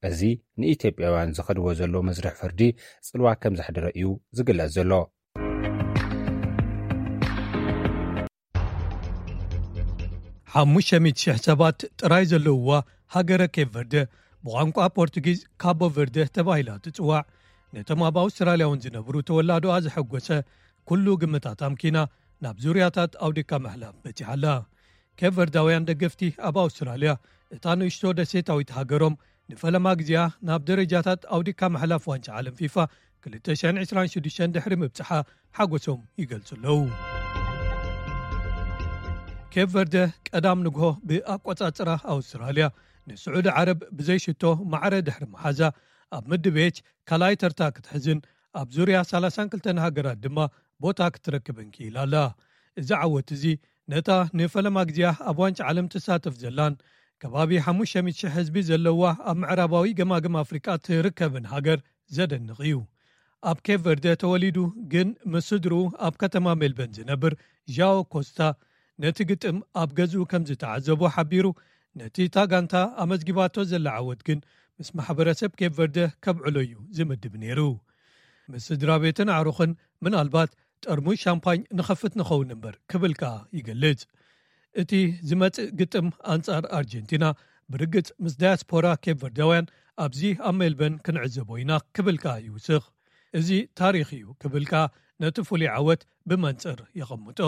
እዚ ንኢትዮጵያውያን ዝኸድዎ ዘሎ መስርሕ ፍርዲ ጽልዋ ከም ዘሕደረ እዩ ዝግለጽ ዘሎ። ሓሙሽተ ሚእቲ ሽሕ ሰባት ጥራይ ዘለውዋ ሃገረ ኬፕ ቨርደ፣ ብቋንቋ ፖርቱጊዝ ካቦ ቨርደ ተባሂላ ትጽዋዕ፣ ነቶም ኣብ ኣውስትራልያ እውን ዝነብሩ ተወላዶኣ ዘሐጎሰ ኩሉ ግምታት ኣምኪና ናብ ዙርያታት ኣውዲካ ምሕላፍ በጺሓ ኣላ። ኬፕ ቨርዳውያን ደገፍቲ ኣብ ኣውስትራልያ፣ እታ ንእሽቶ ደሴታዊት ሃገሮም ንፈለማ ግዜኣ ናብ ደረጃታት ኣውዲካ ምሕላፍ ዋንጫ ዓለም ፊፋ ክልተ ሽሕን ዕስራን ሽዱሽተን ድሕሪ ምብጽሓ ሓጎሶም ይገልጹ ኣለዉ። ኬፕ ቨርደ ቀዳም ንግሆ ብኣቆጻጽራ ኣውስትራልያ ንስዑዲ ዓረብ ብዘይ ሽቶ ማዕረ ድሕሪ መሓዛ፣ ኣብ ምድብ ኤች ካልኣይ ተርታ ክትሕዝን ኣብ ዙርያ ሰላሳን ክልተን ሃገራት ድማ ቦታ ክትረክብን ክኢላ ኣላ። እዚ ዓወት እዚ ነታ ንፈለማ ግዜኣ ኣብ ዋንጫ ዓለም ትሳተፍ ዘላን ከባቢ ሓሙሽተ ሚእቲ ሽሕ ህዝቢ ዘለዋ ኣብ ምዕራባዊ ገማግም ኣፍሪቃ ትርከብን ሃገር ዘደንቕ እዩ። ኣብ ኬፕ ቨርደ ተወሊዱ ግን ምስ ስድርኡ ኣብ ከተማ ሜልበርን ዝነብር ዣኦ ኮስታ ነቲ ግጥም ኣብ ገዝኡ ከም ዝተዓዘቦ ሓቢሩ፣ ነቲ እታ ጋንታ ኣመዝጊባቶ ዘላ ዓወት ግን ምስ ማሕበረሰብ ኬፕ ቨርደ ከብዕሎ እዩ ዝምድብ ነይሩ። ምስ ስድራ ቤትን ኣዕሩኽን ምናልባት ጠርሙዝ ሻምፓኝ ንኸፍት ንኸውን እምበር ክብል ከኣ ይገልጽ። እቲ ዝመጽእ ግጥም ኣንጻር ኣርጀንቲና ብርግጽ ምስ ዳያስፖራ ኬፕ ቨርዳውያን ኣብዚ ኣብ ሜልበርን ክንዕዘቦ ኢና ክብል ከኣ ይውስኽ። እዚ ታሪኽ እዩ ክብል ከኣ ነቲ ፍሉይ ዓወት ብመንጽር የቐምጦ።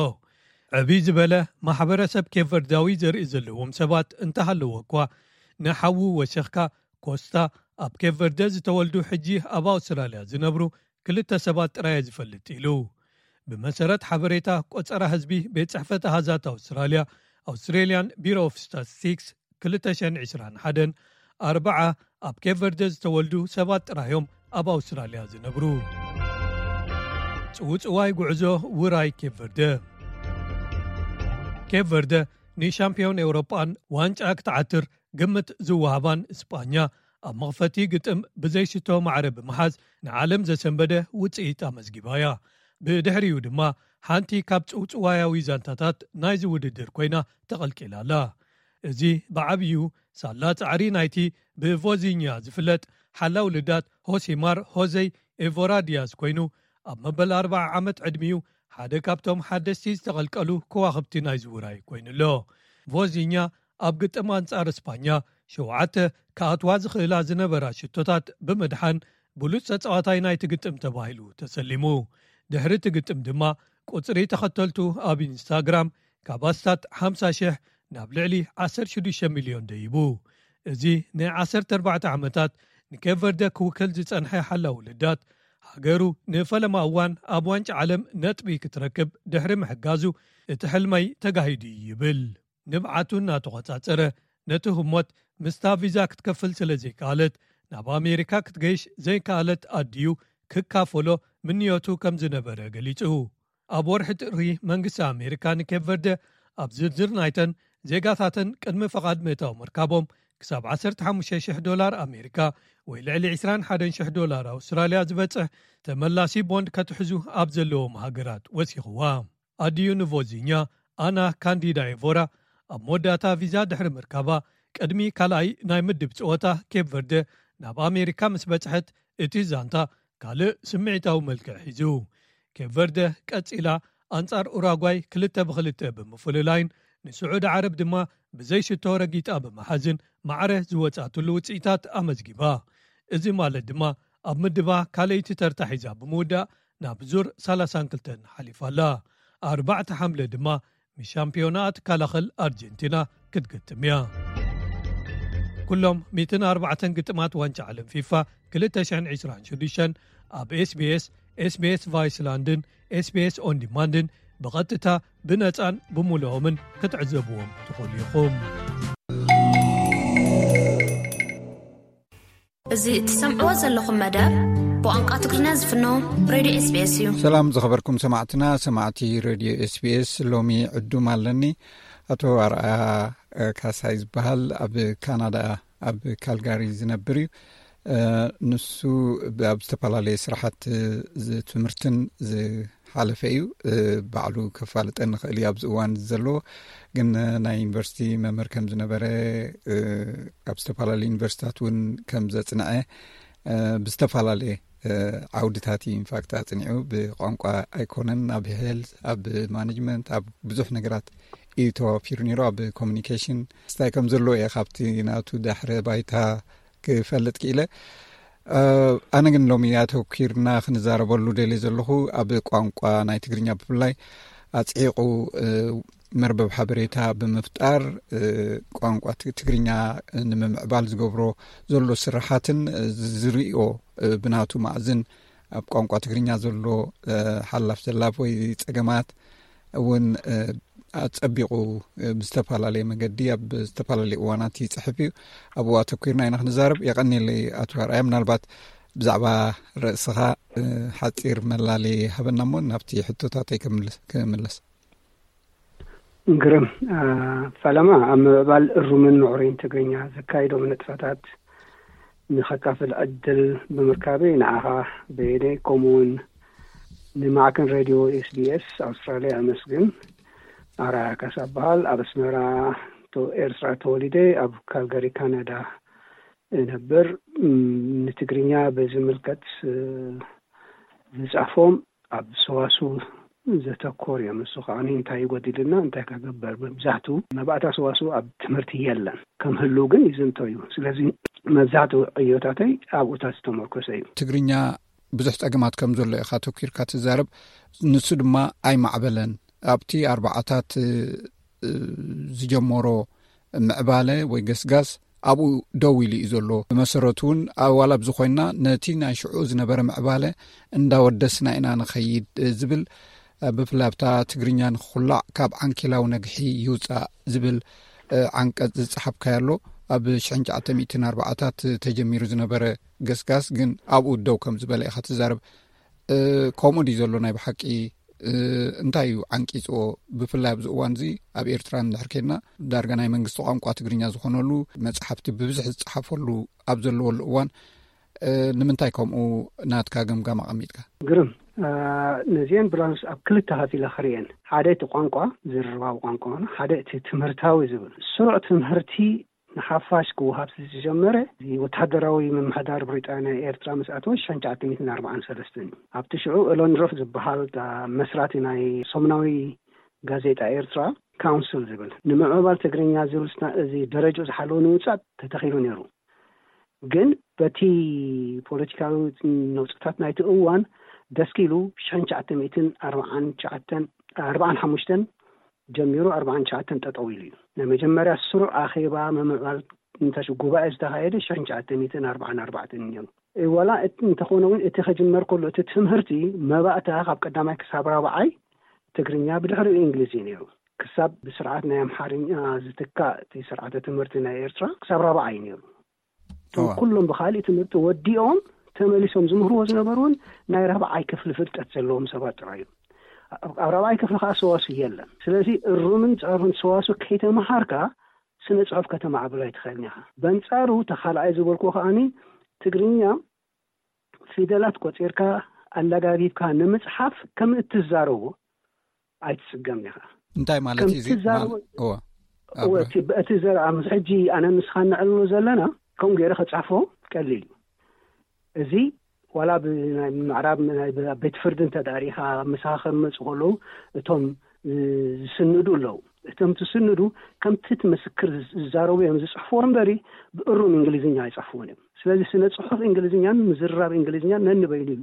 ዕብይ ዝበለ ማሕበረሰብ ኬፕ ቨርዳዊ ዘርኢ ዘለዎም ሰባት እንተሃለዎ እኳ፣ ንሓዉ ወሲኽካ ኮስታ ኣብ ኬፕ ቨርደ ዝተወልዱ ሕጂ ኣብ ኣውስትራልያ ዝነብሩ ክልተ ሰባት ጥራይ እየ ዝፈልጥ ኢሉ። ብመሰረት ሓበሬታ ቆጸራ ህዝቢ ቤት ጽሕፈት ኣሃዛት ኣውስትራልያ፣ Australian Bureau of Statistics፣ ክልተ ሽሕን ዕስራን ሓደን ኣርብዓ ኣብ ኬፕ ቨርደ ዝተወልዱ ሰባት ጥራዮም ኣብ ኣውስትራልያ ዝነብሩ። ጽውጽዋይ ጉዕዞ ውራይ ኬፕ ቨርደ። ኬፕ ቨርደ ንሻምፒዮን ኤውሮጳን ዋንጫ ክትዓትር ግምት ዝወሃባን እስጳኛ፣ ኣብ መኽፈቲ ግጥም ብዘይሽቶ ማዕረ ብምሓዝ ንዓለም ዘሰንበደ ውጽኢት ኣመዝጊባ እያ። ብድሕሪኡ ድማ ሓንቲ ካብ ጽውጽዋያዊ ዛንታታት ናይዚ ውድድር ኮይና ተቐልቂላ ኣላ። እዚ ብዓብዩ ሳላ ጻዕሪ ናይቲ ብቮዚኛ ዝፍለጥ ሓላው ልዳት ሆሲማር ሆዘይ ኤቮራ ዲያዝ ኮይኑ፣ ኣብ መበል ኣርብዓ ዓመት ዕድሚኡ ሓደ ካብቶም ሓደስቲ ዝተቐልቀሉ ከዋኽብቲ ናይዚ ውራይ ኮይኑ ኣሎ። ቮዚኛ ኣብ ግጥም ኣንጻር እስጳኛ ሸውዓተ ክኣትዋ ዝኽእላ ዝነበራ ሽቶታት ብምድሓን ብሉጽ ተጻዋታይ ናይቲ ግጥም ተባሂሉ ተሰሊሙ። ድሕሪ እቲ ግጥም ድማ ቁጽሪ ተኸተልቱ ኣብ ኢንስታግራም ካብ ኣስታት ሓምሳ ሽሕ ናብ ልዕሊ ዓሰርተ ሽዱሽተ ሚልዮን ደይቡ። እዚ ን ዓሰርተ ኣርባዕተ ዓመታት ንኬፕ ቨርደ ክውክል ዝጸንሐ ሓላው ልዳት፣ ሃገሩ ንፈለማ እዋን ኣብ ዋንጫ ዓለም ነጥቢ ክትረክብ ድሕሪ ምሕጋዙ፣ እቲ ሕልመይ ተጋሂዱ እዩ ይብል። ንብዓቱ እናተቖጻጸረ፣ ነቲ ህሞት ምስታ ቪዛ ክትከፍል ስለ ዘይከኣለት፣ ናብ ኣሜሪካ ክትገይሽ ዘይከኣለት ኣዲኡ ክካፈሎ ምንዮቱ ከም ዝነበረ ገሊጹ። ኣብ ወርሒ ጥሪ፣ መንግስቲ ኣሜሪካ ንኬፕ ቨርደ ኣብ ዝርዝር ናይተን ዜጋታተን ቅድሚ ፈቓድ ምእታው ምርካቦም ክሳብ ዓሰርተ ሓሙሽተ ሽሕ ዶላር ኣሜሪካ ወይ ልዕሊ ዕስራን ሓደን ሽሕ ዶላር ኣውስትራልያ ዝበጽሕ ተመላሲ ቦንድ ከትሕዙ ኣብ ዘለዎም ሃገራት ወሲኽዋ። ኣዲዩ ንቮዚኛ ኣና ካንዲዳ ኤቮራ ኣብ መወዳእታ ቪዛ ድሕሪ ምርካባ፣ ቅድሚ ካልኣይ ናይ ምድብ ጸወታ ኬፕ ቨርደ ናብ ኣሜሪካ ምስ በጽሐት፣ እቲ ዛንታ ካልእ ስምዒታዊ መልክዕ ሒዙ። ኬፕ ቨርደ ቀጺላ ኣንጻር ኡራጓይ ክልተ ብክልተ ብምፍልላይን ንስዑዲ ዓረብ ድማ ብዘይ ሽቶ ረጊጣ ብምሓዝን ማዕረ ዝወጻትሉ ውጽኢታት ኣመዝጊባ። እዚ ማለት ድማ ኣብ ምድባ ካልኣይቲ ተርታ ሒዛ ብምውዳእ ናብ ዙር ሰላሳን ክልተን ሓሊፋ ኣላ። ኣርባዕተ ሓምለ ድማ ምስ ሻምፒዮና ትከላኸል ኣርጀንቲና ክትግጥም እያ። ኩሎም ሚእትን ኣርባዕተን ግጥማት ዋንጫ ዓለም ፊፋ ክልተ ሽሕን ዕስራን ሽዱሽተን ኣብ ኤስቢኤስ፣ ኤስቢኤስ ቫይስላንድን ኤስቢኤስ ኦን ዲማንድን ብቐጥታ ብነጻን ብምሉኦምን ክትዕዘብዎም ትኽእሉ ኢኹም። እዚ እትሰምዕዎ ዘለኹም መደብ ብቋንቋ ትግርኛ ዝፍኖ ሬድዮ ኤስቢኤስ እዩ። ሰላም ዝኸበርኩም ሰማዕትና፣ ሰማዕቲ ሬድዮ ኤስቢኤስ፣ ሎሚ ዕዱም ኣለኒ። ኣቶ ኣርኣያ ካሳይ ዝበሃል ኣብ ካናዳ ኣብ ካልጋሪ ዝነብር እዩ። ንሱ ኣብ ዝተፈላለየ ስራሓት ትምህርትን ዝሓለፈ እዩ። ባዕሉ ከፋልጠ ንኽእል እዩ ኣብዚ እዋን ዘሎ። ግን ናይ ዩኒቨርሲቲ መምህር ከም ዝነበረ፣ ኣብ ዝተፈላለዩ ዩኒቨርሲታት እውን ከም ዘፅንዐ፣ ብዝተፈላለየ ዓውድታት እዩ ኢንፋክት ኣፅኒዑ። ብቋንቋ ኣይኮነን፣ ኣብ ሄልት፣ ኣብ ማኔጅመንት፣ ኣብ ብዙሕ ነገራት እዩ ተዋፊሩ ነይሩ። ኣብ ኮሚኒኬሽን ስታይ ከም ዘለዎ እየ ካብቲ ናቱ ዳሕረ ባይታ ክፈልጥ ክኢለ። ኣነ ግን ሎሚ ኣተኪርና ክንዛረበሉ ደልየ ዘለኹ ኣብ ቋንቋ ናይ ትግርኛ፣ ብፍላይ ኣፅዒቑ መርበብ ሓበሬታ ብምፍጣር ቋንቋ ትግርኛ ንምምዕባል ዝገብሮ ዘሎ ስራሓትን ዝርእዮ ብናቱ ማእዝን ኣብ ቋንቋ ትግርኛ ዘሎ ሓላፍ ዘላፍ ወይ ፀገማት እውን ኣፀቢቑ ብዝተፈላለየ መገዲ ኣብ ዝተፈላለዩ እዋናት ይፅሕፍ እዩ። ኣብኡ ኣተኪርና ኢና ክንዛረብ። የቐኒለይ ኣቶ ኣርኣያ፣ ምናልባት ብዛዕባ ርእስኻ ሓፂር መላለየ ሃበና እሞ ናብቲ ሕቶታተይ ክምለስ። ግርም ፈለማ፣ ኣብ ምዕባል እሩምን ምዕሩይን ትግርኛ ዘካይዶም ንጥፈታት ንኸካፍል ዕድል ብምርካበይ ንዓኻ በየነይ ከምኡውን ንማዕከን ሬድዮ ኤስቢኤስ ኣውስትራልያ ኣመስግን። ኣርኣያ ካሳ እበሃል። ኣብ ኣስመራ ኤርትራ ተወሊደ ኣብ ካልጋሪ ካናዳ እነብር። ንትግርኛ ብዝምልከት ዝጻፎም ኣብ ሰዋስው ዘተኮር እዮም። እሱ ከዓ እንታይ ይጎድልና እንታይ ከግበር፣ መብዛሕቱ መባእታ ሰዋስው ኣብ ትምህርቲ የለን። ከም ህልው ግን ይዝንቶ እዩ። ስለዚ መብዛሕቱ ዕዮታተይ ኣብኡታት ዝተመርኮሰ እዩ። ትግርኛ ብዙሕ ጸገማት ከም ዘሎ ኢኻ ተኪርካ ትዛረብ። ንሱ ድማ ኣይማዕበለን። ኣብቲ ኣርባዓታት ዝጀመሮ ምዕባለ ወይ ገስጋስ ኣብኡ ደው ኢሉ እዩ ዘሎ። ብመሰረቱ እውን ኣዋላ ብዝኮይና ነቲ ናይ ሽዑ ዝነበረ ምዕባለ እንዳወደስና ኢና ንኸይድ ዝብል፣ ብፍላይ ኣብታ ትግርኛ ንክኩላዕ ካብ ዓንኬላዊ ነግሒ ይውፃእ ዝብል ዓንቀፅ ዝፀሓፍካዮ ኣሎ። ኣብ ሽሕን ትሽዓተ ሚእትን ኣርባዓታት ተጀሚሩ ዝነበረ ገስጋስ ግን ኣብኡ ደው ከም ዝበለ ኢኻ ትዛረብ። ከምኡ ድዩ ዘሎ ናይ ብሓቂ? እንታይ እዩ ዓንቂፅዎ? ብፍላይ ኣብዚ እዋን እዚ ኣብ ኤርትራ እንድሕር ኬድና፣ ዳርጋ ናይ መንግስቲ ቋንቋ ትግርኛ ዝኾነሉ መፅሓፍቲ ብብዝሒ ዝፀሓፈሉ ኣብ ዘለወሉ እዋን፣ ንምንታይ ከምኡ ናትካ ገምጋም ኣቐሚጥካ? ግርም። ነዚአን ብላንስ ኣብ ክልተ ከፊለ ክርእየን፣ ሓደ እቲ ቋንቋ፣ ዝርርባዊ ቋንቋ፣ ሓደ እቲ ትምህርታዊ ዝብል። ስሩዕ ትምህርቲ ንሓፋሽ ክወሃብ ዝጀመረ እዚ ወታደራዊ ምምሕዳር ብሪጣንያ ኤርትራ ምስ ኣተወ ሽሕን ትሽዓተ ሚእትን ኣርባዓን ሰለስተን እዩ። ኣብቲ ሽዑ ኤሎንድሮፍ ዝበሃል መስራቲ ናይ ሰሙናዊ ጋዜጣ ኤርትራ፣ ካውንስል ዝብል ንምዕባል ትግርኛ ዝብል፣ እዚ ደረጃ ዝሓለወ ንምውፃእ ተተኺሉ ነይሩ። ግን በቲ ፖለቲካዊ ነውፅታት ናይቲ እዋን ደስኪሉ፣ ሽሕን ትሽዓተ ሚእትን ኣርባዓን ትሽዓተን፣ ኣርባዓን ሓሙሽተን ጀሚሩ ኣርባዓን ትሽዓተን ጠጠው ኢሉ እዩ። ናይ መጀመርያ ስሩዕ ኣኼባ ምምዕባል እንታይ ሽዑ ጉባኤ ዝተኻየደ ሽሕን ትሽዓተ ሚእትን ኣርባዓን ኣርባዕተን ነይሩ። ዋላ እንተኾነ እውን እቲ ከጅመር ከሎ እቲ ትምህርቲ መባእታ ካብ ቀዳማይ ክሳብ ራብዓይ ትግርኛ፣ ብድሕሪኡ እንግሊዝ እዩ ነይሩ። ክሳብ ብስርዓት ናይ ኣምሓርኛ ዝትካእ እቲ ስርዓተ ትምህርቲ ናይ ኤርትራ ክሳብ ራብዓይ እዩ ነይሩ። እቶም ኩሎም ብካሊእ ትምህርቲ ወዲኦም ተመሊሶም ዝምህርዎ ዝነበሩ እውን ናይ ራብዓይ ክፍሊ ፍልጠት ዘለዎም ሰባት ጥራይ እዮም። ኣብ ራብዓይ ክፍሊ ከዓ ሰዋሱ የለን። ስለዚ እሩምን ፃሩን ሰዋሱ ከይተመሃርካ ስነ ፅሑፍ ከተማዕብል ኣይትኽእልን ኢኻ። በንፃሩ ተኻልኣይ ዝበልኩ ከዓኒ ትግርኛ ፊደላት ቆፂርካ ኣላጋቢብካ ንምፅሓፍ ከም እትዛረቦ ኣይትፅገም ኢኻ። እንታይ ማለት እዩ እዚ? ከምቲ ዛረቦ ማል-፣ እወ። እወ፣ ኣብረ። እቲ፣ እቲ ዘረባ ምስ ሕጂ ኣነ ንስኻ ንዕልሎ ዘለና ከም ገይረ ክፅሕፎ ቀሊል እዩ። እዚ ዋላ ብናይ ምዕራብ ናይ ቤት ፍርዲ እንተ ደኣ ርኢኻ ምሳኻ ከመፁ ከለዉ እቶም ዝስንዱ ኣለዉ። እቶም ትስንዱ ከምቲ እቲ ምስክር ዝዛረቡ እዮም ዝፅሕፍዎ እምበሪ ብእሩም እንግሊዝኛ ኣይፅሕፍዎን እዮም። ስለዚ ስነ ፅሑፍ እንግሊዝኛን ምዝርራብ እንግሊዝኛን ነንበይኑ እዩ።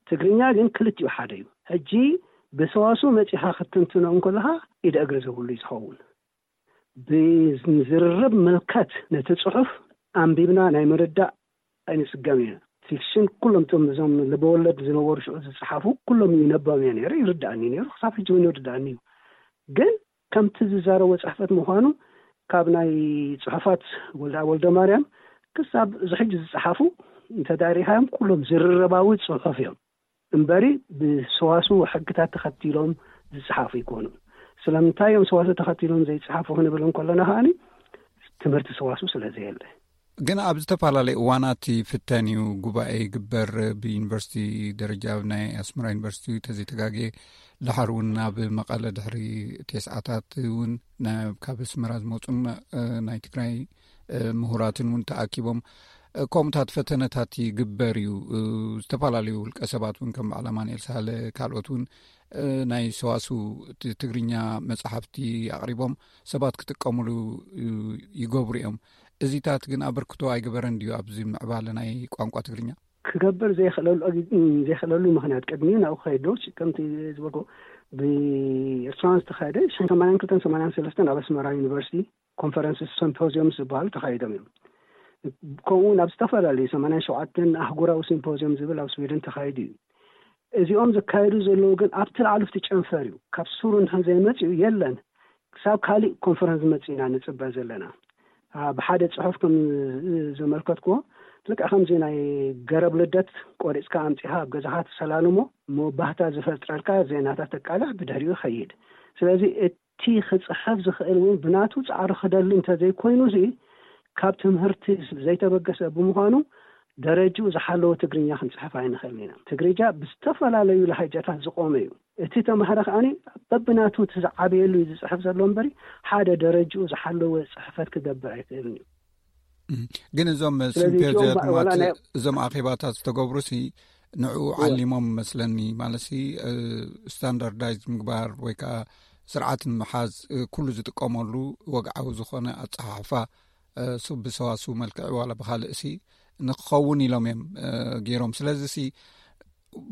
ትግርኛ ግን ክልቲኡ ሓደ እዩ። ሕጂ ብሰዋስው መጺኻ ክትትንትኖ እንከለኻ ኢደ እግሪ ዘብሉ እዩ ዝኸውን። ብዝርርብ ምልከት ነቲ ጽሑፍ ኣንቢብና ናይ ምርዳእ ኣይንጽገም ኢና። ፊክሽን ኩሎም እቶም እዞም ልበወለድ ዝነበሩ ሽዑ ዝጸሓፉ ኩሎም ይነበብ እየ ነይረ፣ ይርዳእኒ ነይሩ፣ ክሳብ ሕጂ እውን ይርዳእኒ እዩ። ግን ከምቲ ዝዛረቦ ጽሕፈት ምዃኑ ካብ ናይ ጽሑፋት ወልደ፣ ወልደ ማርያም ክሳብ እዚ ሕጂ ዝጸሓፉ እንተ ዳሪኻዮም ኩሎም ዝርርባዊ ጽሑፍ እዮም እምበሪ ብሰዋስው ሕግታት ተኸቲሎም ዝጸሓፉ ይኮኑ። ስለምንታይ እዮም ሰዋስው ተኸቲሎም ዘይጸሓፉ ክንብል እንከለና ከኣኒ ትምህርቲ ሰዋስው ስለ ዘየለ። ግን ኣብ ዝተፈላለዩ እዋናት ይፍተን እዩ። ጉባኤ ይግበር ብዩኒቨርሲቲ ደረጃ፣ ኣብ ናይ ኣስመራ ዩኒቨርሲቲ ተዘይተጋግየ፣ ድሓር እውን ኣብ መቐለ ድሕሪ ቴስዓታት እውን ና-፣ ካብ ኣስመራ ዝመፁን፣ እ፣ ናይ ትግራይ፣ እ፣ ምሁራትን እውን ተኣኪቦም፣ እ፣ ከምኡታት ፈተነታት ይግበር እዩ። እ፣ ዝተፈላለዩ ውልቀ ሰባት እውን ከም በዓል ኣማኑኤል ሳህለ ካልኦት እውን፣ እ፣ ናይ ሰዋስው ት-፣ ትግርኛ መፅሓፍቲ ኣቕሪቦም ሰባት ክጥቀሙሉ፣ እ፣ ይገብሩ እዮም። እዚታት ግን ኣበርክቶ ኣይገበረን ድዩ ኣብዚ ምዕባለ ናይ ቋንቋ ትግርኛ? ክገብር ዘይኽእለሉ፣ ዘይኽእለሉ ምኽንያት ቅድሚ ናብኡ ክኸይድ ዶ፣ ከምቲ ዝበልኩ ብኤርትራውያን ዝተኻየደ ሽሕን ሰማንያን ክልተን ሰማንያን ሰለስተን ኣብ ኣስመራ ዩኒቨርሲቲ ኮንፈረንስ ሲምፖዚየም ዝበሃሉ ተኻይዶም እዮም። ከምኡ እውን ኣብ ዝተፈላለዩ ሰማንያን ሸውዓተን ኣህጉራዊ ሲምፖዚየም ዝብል ኣብ ስዊድን ተኻይዱ እዩ። እዚኦም ዝካየዱ ዘለዉ ግን ኣብቲ ላዕሊ ኣብቲ ጨንፈር እዩ። ካብ ሱሩ እንድሕር ዘይመፅኡ የለን። ክሳብ ካሊእ ኮንፈረንስ ዝመፅእ ኢና ንፅበ ዘለና። አ፣ ብሓደ ፅሑፍ ከም ዘመልከትኩዎ፣ ልክዕ ከምዚ ናይ ገረብ ልደት ቆሪፅካ ኣምፂኻ ኣብ ገዛኻ ትሰላልሞ፣ እሞ ባህታ ዝፈጥረልካ ዜናታት ተቃልዕ፣ ብድሕሪኡ ይኸይድ። ስለዚ እቲ ክፅሕፍ ዝኽእል እውን ብናቱ ፃዕሪ ክደሊ እንተዘይኮይኑ እዚ ካብ ትምህርቲ ዘይተበገሰ ብምዃኑ ደረጅኡ ዝሓለወ ትግርኛ ክንፅሕፍ ኣይንኽእልን ኢና። ትግርኛ ብዝተፈላለዩ ላህጃታት ዝቖመ እዩ። እቲ ተማሃሪ ከኣኒ በብናቱ እቲ ዝዓበየሉ እዩ ዝፅሕፍ ዘሎ እምበሪ ሓደ ደረጅኡ ዝሓለወ ፅሕፈት ክገብር ኣይኽእልን እዩ። እም፣ ግን እዞም ስለዚ እዚኦም ሲምፖዚያት ባ-፣ ዋላ ማለት ናይ እዞም ኣኼባታት ዝተገብሩሲ ንዕኡ እወ። ዓሊሞም መስለኒ። ማለትሲ፣ እ፣ ስታንዳርዳይዝ ምግባር ወይ ከዓ ስርዓት ንምሓዝ፣ እ፣ ኩሉ ዝጥቀመሉ ወግዓዊ ዝኾነ ኣጸሓሕፋ፣ እ፣ ሱ-፣ ብሰዋስው መልክዕ ዋላ ብኻልእሲ ንክኸውን ኢሎም እዮም፣ እ፣ ገይሮም። ስለዚሲ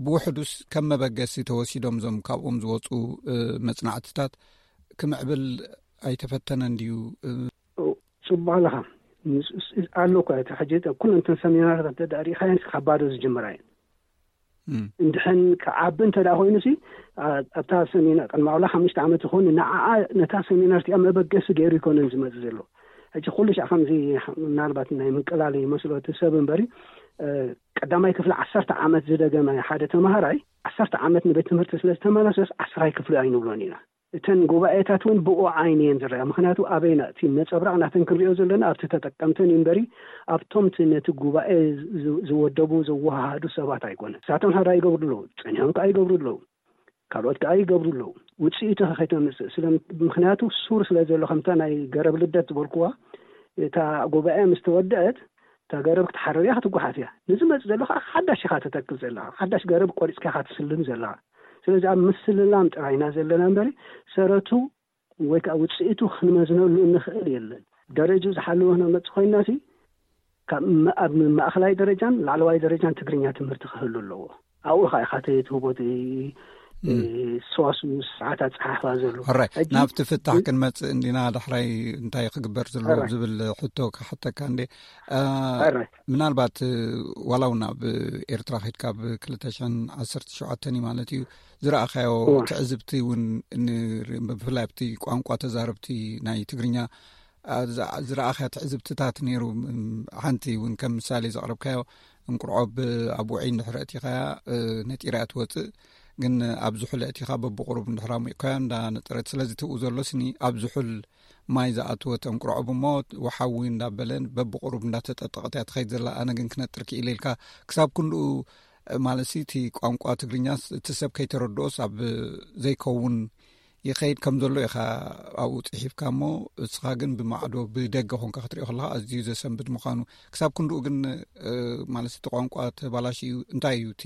ብውሕዱስ ከም መበገሲ ተወሲዶም እዞም ካብኦም ዝወፁ፣ እ፣ መጽናዕትታት ክምዕብል ኣይተፈተነን ድዩ? እ፣ ጽቡቕ ኣለኻ። ምስ-፣ ስ-፣ ኣሎ እኮ፣ እቲ ሕጂ ኩለን እተን ሰሚናርታት እንተ ደኣ ርኢኻየን ካብ ባዶ ዝጅምራ እየን። እም። እንድሕን ክዓቢ እንተ ደኣ ኮይኑሲ፣ ኣ-፣ ኣብታ ሰሚናር ቅድሚ ዋላ ሓሙሽተ ዓመት ይኹን ንዓኣ ነታ ሰሚናር እቲኣ መበገሲ ገይሩ ይኮነን ዝመጽእ ዘሎ። ሕጂ ኩሉ ሻዕ ከምዚ ምናልባት ናይ ምንቅላል ይመስሎ እቲ ሰብ እምበሪ፣ እ፣ ቀዳማይ ክፍሊ ዓሰርተ ዓመት ዝደገመ ሓደ ተማሃራይ፣ ዓሰርተ ዓመት ንቤት ትምህርቲ ስለ ዝተመለሰስ ዓስራይ ክፍሊ ኣይንብሎን ኢና። እተን ጉባኤታት እውን ብኡ ዓይኒ እየን ዝረኣ። ምኽንያቱ ኣበይና እቲ ነጸብራቕ ናተን ክንሪኦ ዘለና ኣብቲ ተጠቀምተን እዩ እምበሪ፣ ኣብቶም እቲ ነቲ ጉባኤ ዝ-፣ ዝወደቡ፣ ዝወሃሃዱ ሰባት ኣይኮነን። ንሳቶም ሓደ ይገብሩ ኣለዉ፣ ጸኒሖም ከኣ ይገብሩ ኣለዉ። ካልኦት ከኣ ይገብሩ ኣለዉ። ውጽኢቱ ከ ከይተምጽእ ስለ፣ ምኽንያቱ ሱር ስለ ዘሎ፣ ከምታ ናይ ገረብ ልደት ዝበልኩዋ፣ እታ ጉባኤ ምስ ተወደአት፣ እታ ገረብ ክትሓርር እያ፣ ክትጓሓፍ እያ። ንዝመጽእ ዘሎ ከኣ ሓዳሽ ኢኻ ተተክል ዘለኻ። ሓዳሽ ገረብ ቆሪጽካ ኢኻ ትስልም ዘለኻ። ስለዚ ኣብ ምስልላም ጥራይ ኢና ዘለና እምበሪ፣ ሰረቱ ወይ ከኣ ውጽኢቱ ክንመዝነሉ እንኽእል የለን። ደረጃ ዝሓለወ ክነመጽእ ኮይንና ሲ፣ ካብ መ-፣ ኣብ ማእከላይ ደረጃን ላዕለዋይ ደረጃን ትግርኛ ትምህርቲ ክህሉ ኣለዎ። ኣብኡ ኸኣ ኢኻ እቲ ትህቦ እቲ፣ እ፣ ሰዋስው ስርዓት ኣጸሓሕፋ ዘሎ። ሕራይ፣ ሕጂ ናብቲ ፍታሕ እ- ክንመጽእ እንዲና። ዳሕራይ እንታይ ክግበር ዘለዎ ሕራይ። ዝብል ሕቶ ክሓተካ እንዴ? እ፣ ሕራይ። ምናልባት፣ እ፣ ዋላ እውን ኣብ ኤርትራ ከይድካ ኣብ ክልተ ሽሕን ዓሰርተ ሸውዓተን እዩ ማለት እዩ፣ ዝረኣኻዮ እወ። ትዕዝብቲ እውን ን-፣ ብፍላይ ኣብቲ ቋንቋ ተዛረብቲ ናይ ትግርኛ፣ እ፣ ዝኣ-፣ ዝረኣኻዮ ትዕዝብትታት ነይሩ። ም-፣ ሓንቲ እውን ከም ምሳሌ ዘቕረብካዮ፣ እንቁርዖ ብ-፣ ኣብ ውዑይ እንድሕር ኣእቲኻያ፣ እ፣ ነጢራ እያ ትወጽእ። ግን ኣብ ዝሑል ኣእቲኻ በብቑሩብ እንድሕር ኣሙቕካዮ እንዳነጠረት። ስለዚ ትብኡ ዘሎ ስኒ ኣብ ዝሑል ማይ ዝኣትወት እንቁርዖ ብሞ ወሓዊ እንዳበለ በብቑሩብ እንዳተጠጠቐት እያ ትኸይድ ዘላ። ኣነ ግን ክነጥር ክኢለ ኢልካ ክሳብ ክንድኡ፣ እ፣ ማለት ሲ፣ እቲ ቋንቋ ትግርኛስ እቲ ሰብ ከይተረድኦስ ኣብ ዘይከውን ይኸይድ ከም ዘሎ ኢኻ ኣብኡ ጽሒፍካ እሞ፣ እስኻ ግን ብማዕዶ ብደገ ኾንካ ክትሪኦ ከለኻ ኣዝዩ ዘሰንብድ ምዃኑ። ክሳብ ክንድኡ ግን፣ እ፣ ማለት እቲ ቋንቋ ተባላሽዩ እንታይ እዩ እቲ፣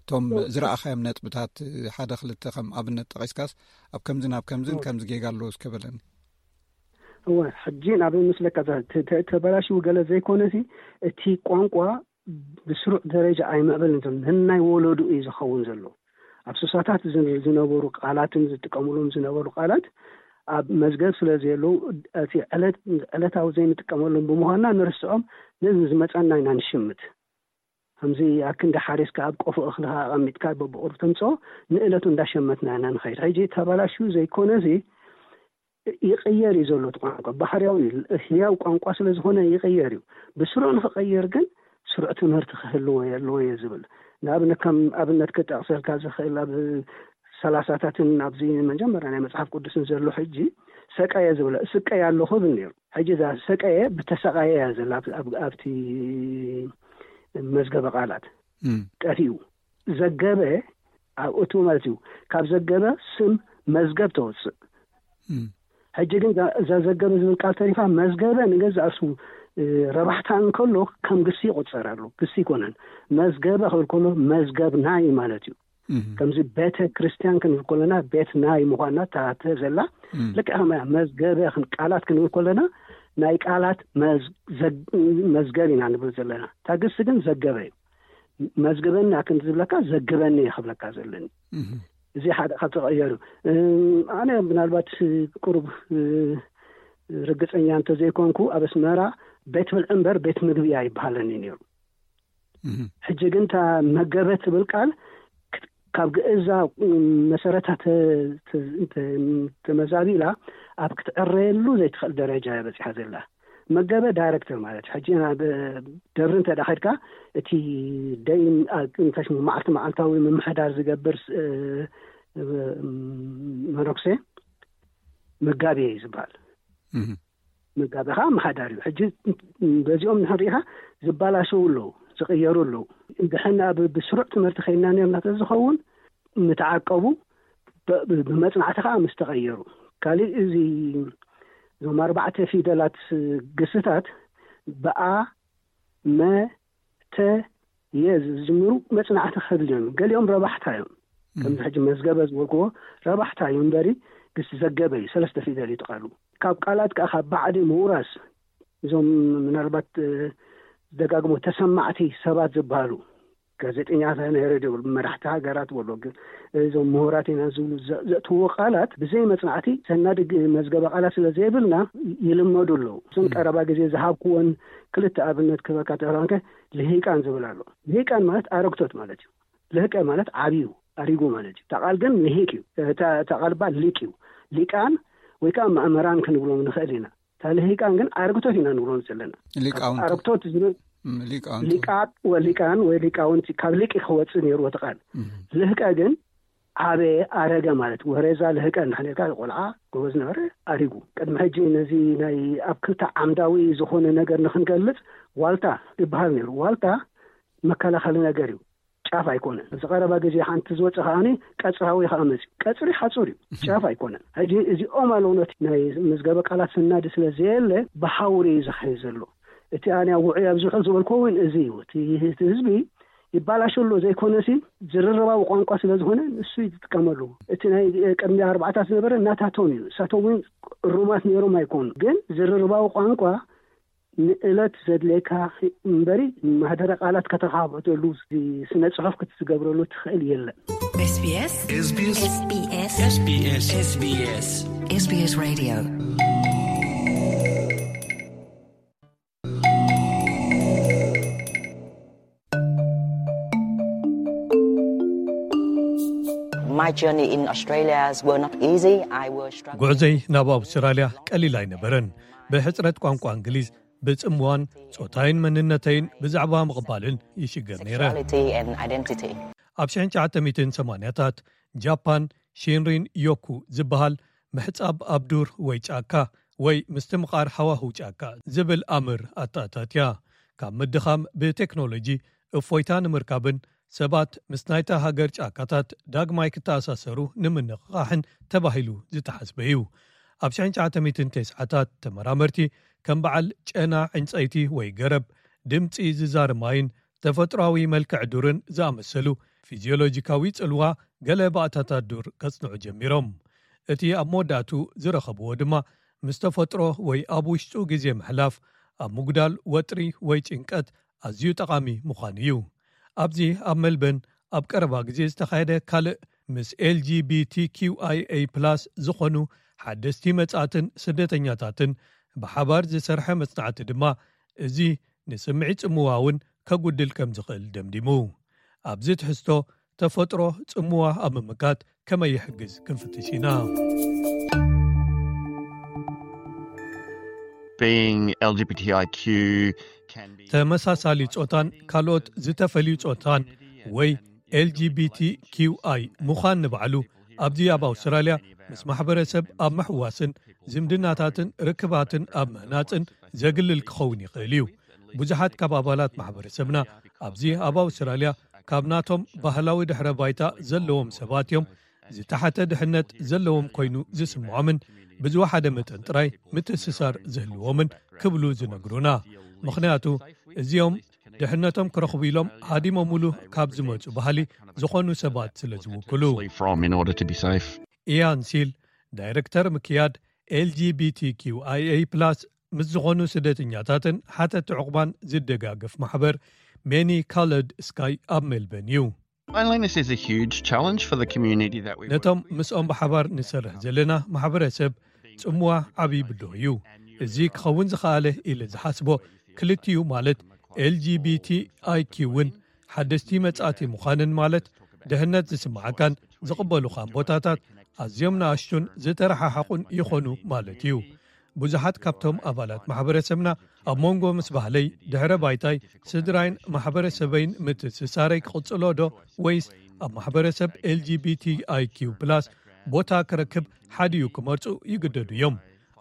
እቶም እወ። ዝረኣኻዮም ነጥብታት ሓደ ክልተ ከም ኣብነት ጠቒስካስ፣ ኣብ ከምዝን ኣብ ከምዝን እወ። ከምዚ ጌጋ ኣለዎ እስከ በለኒ። እወ፣ ሕጂ ናብ ምስለካ ተ-፣ ተ-፣ ተበላሽዩ ገለ ዘይኮነሲ፣ እቲ ቋንቋ ብስሩዕ ደረጃ ኣይምዕበልን ዘሎ፣ ነናይ ወለዱ እዩ ዝኸውን ዘሎ። ኣብ ሱሳታት ዝን-፣ ዝነበሩ ቃላትን ዝጥቀሙሎም ዝነበሩ ቃላት ኣብ መዝገብ ስለ ዘየለዉ፣ እቲ ዕለት-፣ ዕለታዊ ዘይንጥቀመሎም ብምዃንና ንርስዖም፣ ነዚ ዝመጸና ኢና ንሽምት። ከምዚ ኣክንዲ ሓሪስካ ኣብ ቆፎ እኽልኻ ኣቐሚጥካ በብቑሩብ ተምጽኦ፣ ንእለቱ እንዳሸመትና ኢና ንኸይድ። ሕጂ ተበላሽዩ ዘይኮነሲ፣ ይቕየር እዩ ዘሎ እቲ ቋንቋ። ባህርያዊ እዩ። ህያው ቋንቋ ስለ ዝኾነ ይቕየር እዩ። ብስሩዕ ንኽቐየር ግን ስሩዕ ትምህርቲ ክህልዎ ኣለዎ እየ ዝብል። ንኣብነት፣ ከም ኣብነት ክጠቕሰልካ ዝኽእል፣ ኣብ ሰላሳታትን ኣብዚ መጀመርያ ናይ መጽሓፍ ቅዱስን ዘሎ ሕጂ ሰቀየ ዝብሎ፣ እስቀየ ኣለኹ ይብል ነይሩ። ሕጂ እዛ ሰቀየ ብተሰቃየ እያ ዘላ ኣብ-፣ ኣብ-፣ ኣብቲ መዝገበ ቃላት እም። ጠፊኡ። ዘገበ ኣብ እቱ ማለት እዩ። ካብ ዘገበ ስም መዝገብ ተወፅእ። እም። ሕጂ ግን እዛ፣ እዛ ዘገበ ዝብል ቃል ተሪፋ፣ መዝገበ ንገዛእ ርእሱ፣ እ፣ ረባሕታ እንከሎ ከም ግሲ ይቑፀር ኣሎ። ግሲ ይኮነን። መዝገበ ክብል ከሎ መዝገብ ናይ ማለት እዩ። እም። ከምዚ ቤተ ክርስቲያን ክንብል ከለና ቤት ናይ ምዃና እታ ዘላ እም። ልክዕ ከማያ መዝገበ ክን-፣ ቃላት ክንብል ከለና ናይ ቃላት መዝ-፣ ዘግ-፣ መዝገብ ኢና ንብል ዘለና። እታ ግሲ ግን ዘገበ እዩ። መዝግበኒ ኣክን ዝብለካ ዘግበኒ እየ ክብለካ ዘለኒ። እህ። እዚ ሓደ ካብ ተቐየሩ፣ እም፣ ኣነ ምናልባት ቁሩብ፣ እ፣ ርግጸኛ እንተዘይኮንኩ፣ ኣብ ኣስመራ ቤት ብልዒ እምበር ቤት ምግቢ ኣይበሃለኒ ነይሩ። እህ። ሕጂ ግን እታ መገበ ትብል ቃል ክት-፣ ካብ ግእዛ፣ እም፣ መሰረታ ተ-፣ ተ-፣ ተ-፣ ተመዛቢላ ኣብ ክትዕረየሉ ዘይትኽእል ደረጃ እያ በጺሓ ዘላ። መገበ ዳይሬክተር ማለት እዩ። ሕጂ ናብ ደብሪ እንተ ደኣ ኸድካ፣ እቲ ደይን፣ አ፣ እንታይ ሽሙ፣ መዓልቲ መዓልታዊ ምምሕዳር ዝገብር ስ-፣ እ፣ እ፣ መነኩሴ መጋቢ እዩ ዝበሃል። እህ። መጋቢ ኸዓ ኣመሓዳሪ እዩ። ሕጂ በዚኦም እንድሕር ርኢኻ፣ ዝበላሸዉ ኣለዉ፣ ዝቕየሩ ኣለዉ። እንድሕና ብ-፣ ብስሩዕ ትምህርቲ ኸይድና ነርና ተዝኸውን፣ ምተዓቀቡ ብ-፣ ብ-፣ ብመጽናዕቲ ኸዓ ምስ ተቐየሩ። ካሊእ እዚ፣ እዞም ኣርባዕተ ፊደላት ግስታት ብኣ፣ መ፣ ተ፣ የ ዝጅምሩ መጽናዕቲ ክህሉ እዮም። ገሊኦም ረባሕታ እዮም። እም። ከምዚ ሕጂ መዝገበ ዝበልክዎ ረባሕታ እዩ እምበሪ፣ ግስ ዘገበ እዩ፣ ሰለስተ ፊደል እዩ እቲ ቃሉ። ካብ ቃላት ከኣ ካብ ባዕዲ ምውራስ፣ እዞም ምናልባት፣ እ፣ ደጋግሞ ተሰማዕቲ ሰባት ዝበሃሉ፣ ጋዜጠኛታት ናይ ሬድዮ፣ መራሕቲ ሃገራት በሎ፣ ግ-፣ እዞም ምሁራት ኢና ዝብሉ ዘ-፣ ዘእትውዎ ቃላት ብዘይ መጽናዕቲ ሰናዲ ግ-፣ መዝገበ ቃላት ስለ ዘይብልና ይልመዱ ኣለዉ። እዞም እም። ቀረባ ግዜ ዝሃብክዎን ክልተ ኣብነት ክህበካ ተራንከ ልሂቃን ዝብል ኣሎ። ልሂቃን ማለት ኣረግቶት ማለት እዩ። ልህቀ ማለት ዓብዩ፣ ኣሪጉ ማለት እዩ። እታ ቃል ግን ልሂቅ እዩ። እታ፣ እታ ቃል እባ ሊቅ እዩ። ሊቃን ወይ ከኣ መእመራን ክንብሎም ንኽእል ኢና። እታ ልሂቃን ግን ኣረግቶት ኢና ንብሎም ዘለና። ሊቃውንቲ። ኣረግቶት ዝብል ም፣ ሊቃውንቲ። ሊቃጥ ወሊቃን ወይ ሊቃውንቲ ካብ ሊቂ ክወፅእ ነይሩ እቲ ቃል። እም። ልህቀ ግን ዓበየ፣ ኣረገ ማለት። ወሬዛ ልህቀ እንድሕር ነርካ፣ ቆልዓ ጎበዝ ነበረ፣ ኣሪጉ። ቅድሚ ሕጂ ነዚ ናይ ኣብ ክልተ ዓምዳዊ ዝኾነ ነገር ንክንገልጽ ዋልታ ይበሃል ነይሩ። ዋልታ መከላኸሊ ነገር እዩ፣ ጫፍ ኣይኮነን። ኣብዚ ቀረባ ግዜ ሓንቲ ዝወፀ ከዓኒ ቀፅራዊ ከዓ መፅዩ። ቀፅሪ ሓፁር እዩ፣ ጫፍ ኣይኮነን። ሕጂ እዚኦም ኣለውነት ናይ መዝገበ ቃላት ስናዲ ስለ ዘየለ ብሓውሪ እዩ ዝኸይ ዘሎ። እቲ ኣነ ኣብ ውዑይ ኣብ ዝውዕል ዝበልኮ እውን እዚ እዩ። እቲ፣ እቲ ህዝቢ ይባላሸሎ ዘይኮነሲ ዝርርባዊ ቋንቋ ስለ ዝኾነ ንሱ እዩ ዝጥቀመሉ። እቲ ናይ ቅድሚ ኣርባዕታት ዝነበረ እናታቶም እዩ። እሳቶም እውን እሩማት ነይሮም ኣይኮኑ። ግን ዝርርባዊ ቋንቋ ንእለት ዘድልየካ እምበሪ ማህደረ ቃላት ከተኻብተሉ፣ ስነ ጽሑፍ ክትዝገብረሉ ትኽእል የለን። SBS SBS SBS SBS SBS Radio. My journey in Australia were not easy. I was struggling. ጉዕዘይ ናብ ኣውስትራልያ ቀሊል ኣይነበረን። ብሕጽረት ቋንቋ እንግሊዝ፣ ብጽምዋን ጾታይን መንነተይን ብዛዕባ ምቕባልን ይሽገር ነይረ። Sexuality and identity. ኣብ ሽሕን ትሽዓተ ሚእትን ሰማንያታት ጃፓን፣ ሺንሪን ዮኩ ዝበሃል ምሕጻብ ኣብ ዱር ወይ ጫካ ወይ ምስትምቓር ሃዋህው ጫካ ዝብል ኣምር ኣተኣታትያ። ካብ ምድኻም ብቴክኖሎጂ እፎይታ ንምርካብን ሰባት ምስ ናይታ ሃገር ጫካታት ዳግማይ ክተኣሳሰሩ ንምንቕቓሕን ተባሂሉ ዝተሓስበ እዩ። ኣብ ሽሕን ትሽዓተ ሚእትን ተስዓታት ተመራመርቲ ከም በዓል ጨና ዕንጸይቲ ወይ ገረብ፣ ድምጺ ዝዛሪ ማይን ተፈጥሮኣዊ መልክዕ ዱርን ዝኣመሰሉ ፊዚዮሎጂካዊ ጽልዋ ገለ ባእታታት ዱር ከጽንዑ ጀሚሮም። እቲ ኣብ መወዳእቱ ዝረኸብዎ ድማ ምስ ተፈጥሮ ወይ ኣብ ውሽጡ ግዜ ምሕላፍ ኣብ ምጉዳል ወጥሪ ወይ ጭንቀት ኣዝዩ ጠቓሚ ምዃኑ እዩ። ኣብዚ ኣብ መልበን ኣብ ቀረባ ግዜ ዝተኻየደ ካልእ ምስ ኤልጂቢቲኪውኣይኤ ፕላስ ዝኾኑ ሓደስቲ መጻእትን ስደተኛታትን ብሓባር ዝሰርሐ መጽናዕቲ ድማ እዚ ንስምዒት ጽምዋ እውን ከጉድል ከም ዝኽእል ደምዲሙ። ኣብዚ ትሕዝቶ ተፈጥሮ ጽምዋ ኣብ ምምካት ከመይ ይሕግዝ ክንፍትሽ ኢና። Being L G B T I Q can be ተመሳሳሊ ጾታን ካልኦት ዝተፈልዩ ጾታን ወይ ኤልጂቢቲኪውኣይ ምዃን ንባዕሉ ኣብዚ ኣብ ኣውስትራልያ ምስ ማሕበረሰብ ኣብ ምሕዋስን ዝምድናታትን ርክባትን ኣብ ምህናጽን ዘግልል ክኸውን ይኽእል እዩ። ብዙሓት ካብ ኣባላት ማሕበረሰብና ኣብዚ ኣብ ኣውስትራልያ ካብ ናቶም ባህላዊ ድሕረ ባይታ ዘለዎም ሰባት እዮም። ዝተሓተ ድሕነት ዘለዎም ኮይኑ ዝስምዖምን ብዝወሓደ መጠን ጥራይ ምትእስሳር ዝህልዎምን ክብሉ ዝነግሩና። ምኽንያቱ እዚኦም ድሕነቶም ክረኽቡ ኢሎም ሃዲሞምሉ ካብ ዝመጹ ባህሊ ዝኾኑ ሰባት ስለ ዝውክሉ። From in order to be safe. ኢያን ሲል፣ ዳይሬክተር ምክያድ ኤልጂቢቲኪውኣይኤ ፕላስ ምስ ዝኾኑ ስደተኛታትን ሓተቲ ዕቑባን ዝደጋገፍ ማሕበር ሜኒ ካለድ ስካይ ኣብ ሜልበን እዩ። Loneliness is a huge challenge for the community that we ነቶም ምስኦም ብሓባር ንሰርሕ ዘለና ማሕበረሰብ ጽምዋ ዓብዪ ብድሆ እዩ። እዚ ክኸውን ዝኸኣለ ኢለ ዝሓስቦ ክልቲኡ ማለት ኤልጂቢቲኣይኪውን ሓደስቲ መጻእቲ ምዃንን ማለት ድሕነት ዝስምዓካን ዝቕበሉኻን ቦታታት ኣዝዮም ንኣሽቱን ዝተረሓሓቑን ይኾኑ ማለት እዩ። ብዙሓት ካብቶም ኣባላት ማሕበረሰብና ኣብ መንጎ ምስ ባህለይ፣ ድሕረ ባይታይ፣ ስድራይን ማሕበረሰበይን ምትእስሳረይ ክቕጽሎ ዶ ወይስ ኣብ ማሕበረሰብ ኤልጂቢቲኣይኪው ፕላስ ቦታ ክረክብ ሓዲኡ ክመርጹ ይግደዱ እዮም።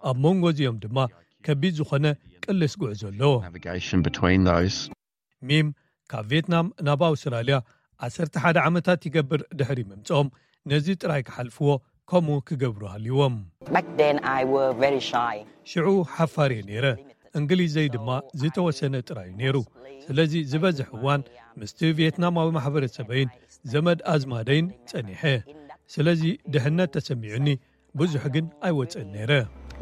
ኣብ መንጎ እዚኦም ድማ ከቢድ ዝኾነ ቅልስ ጉዕዞ ኣሎ። Navigation between those. ሚም ካብ ቪየትናም ናብ ኣውስትራልያ ዓሰርተ ሓደ ዓመታት ይገብር ድሕሪ ምምጽኦም ነዚ ጥራይ ክሓልፍዎ ከምኡ ክገብሩ ሃልይዎም። Back then I were very shy. ሽዑ ሓፋር እየ ነይረ። እንግሊዘይ ድማ ዝተወሰነ ጥራይ እዩ ነይሩ። ስለዚ ዝበዝሕ እዋን ምስቲ ቪየትናማዊ ማሕበረሰበይን ዘመድ ኣዝማደይን ጸኒሐ። ስለዚ ድሕነት ተሰሚዑኒ ብዙሕ ግን ኣይወጽእን ነይረ።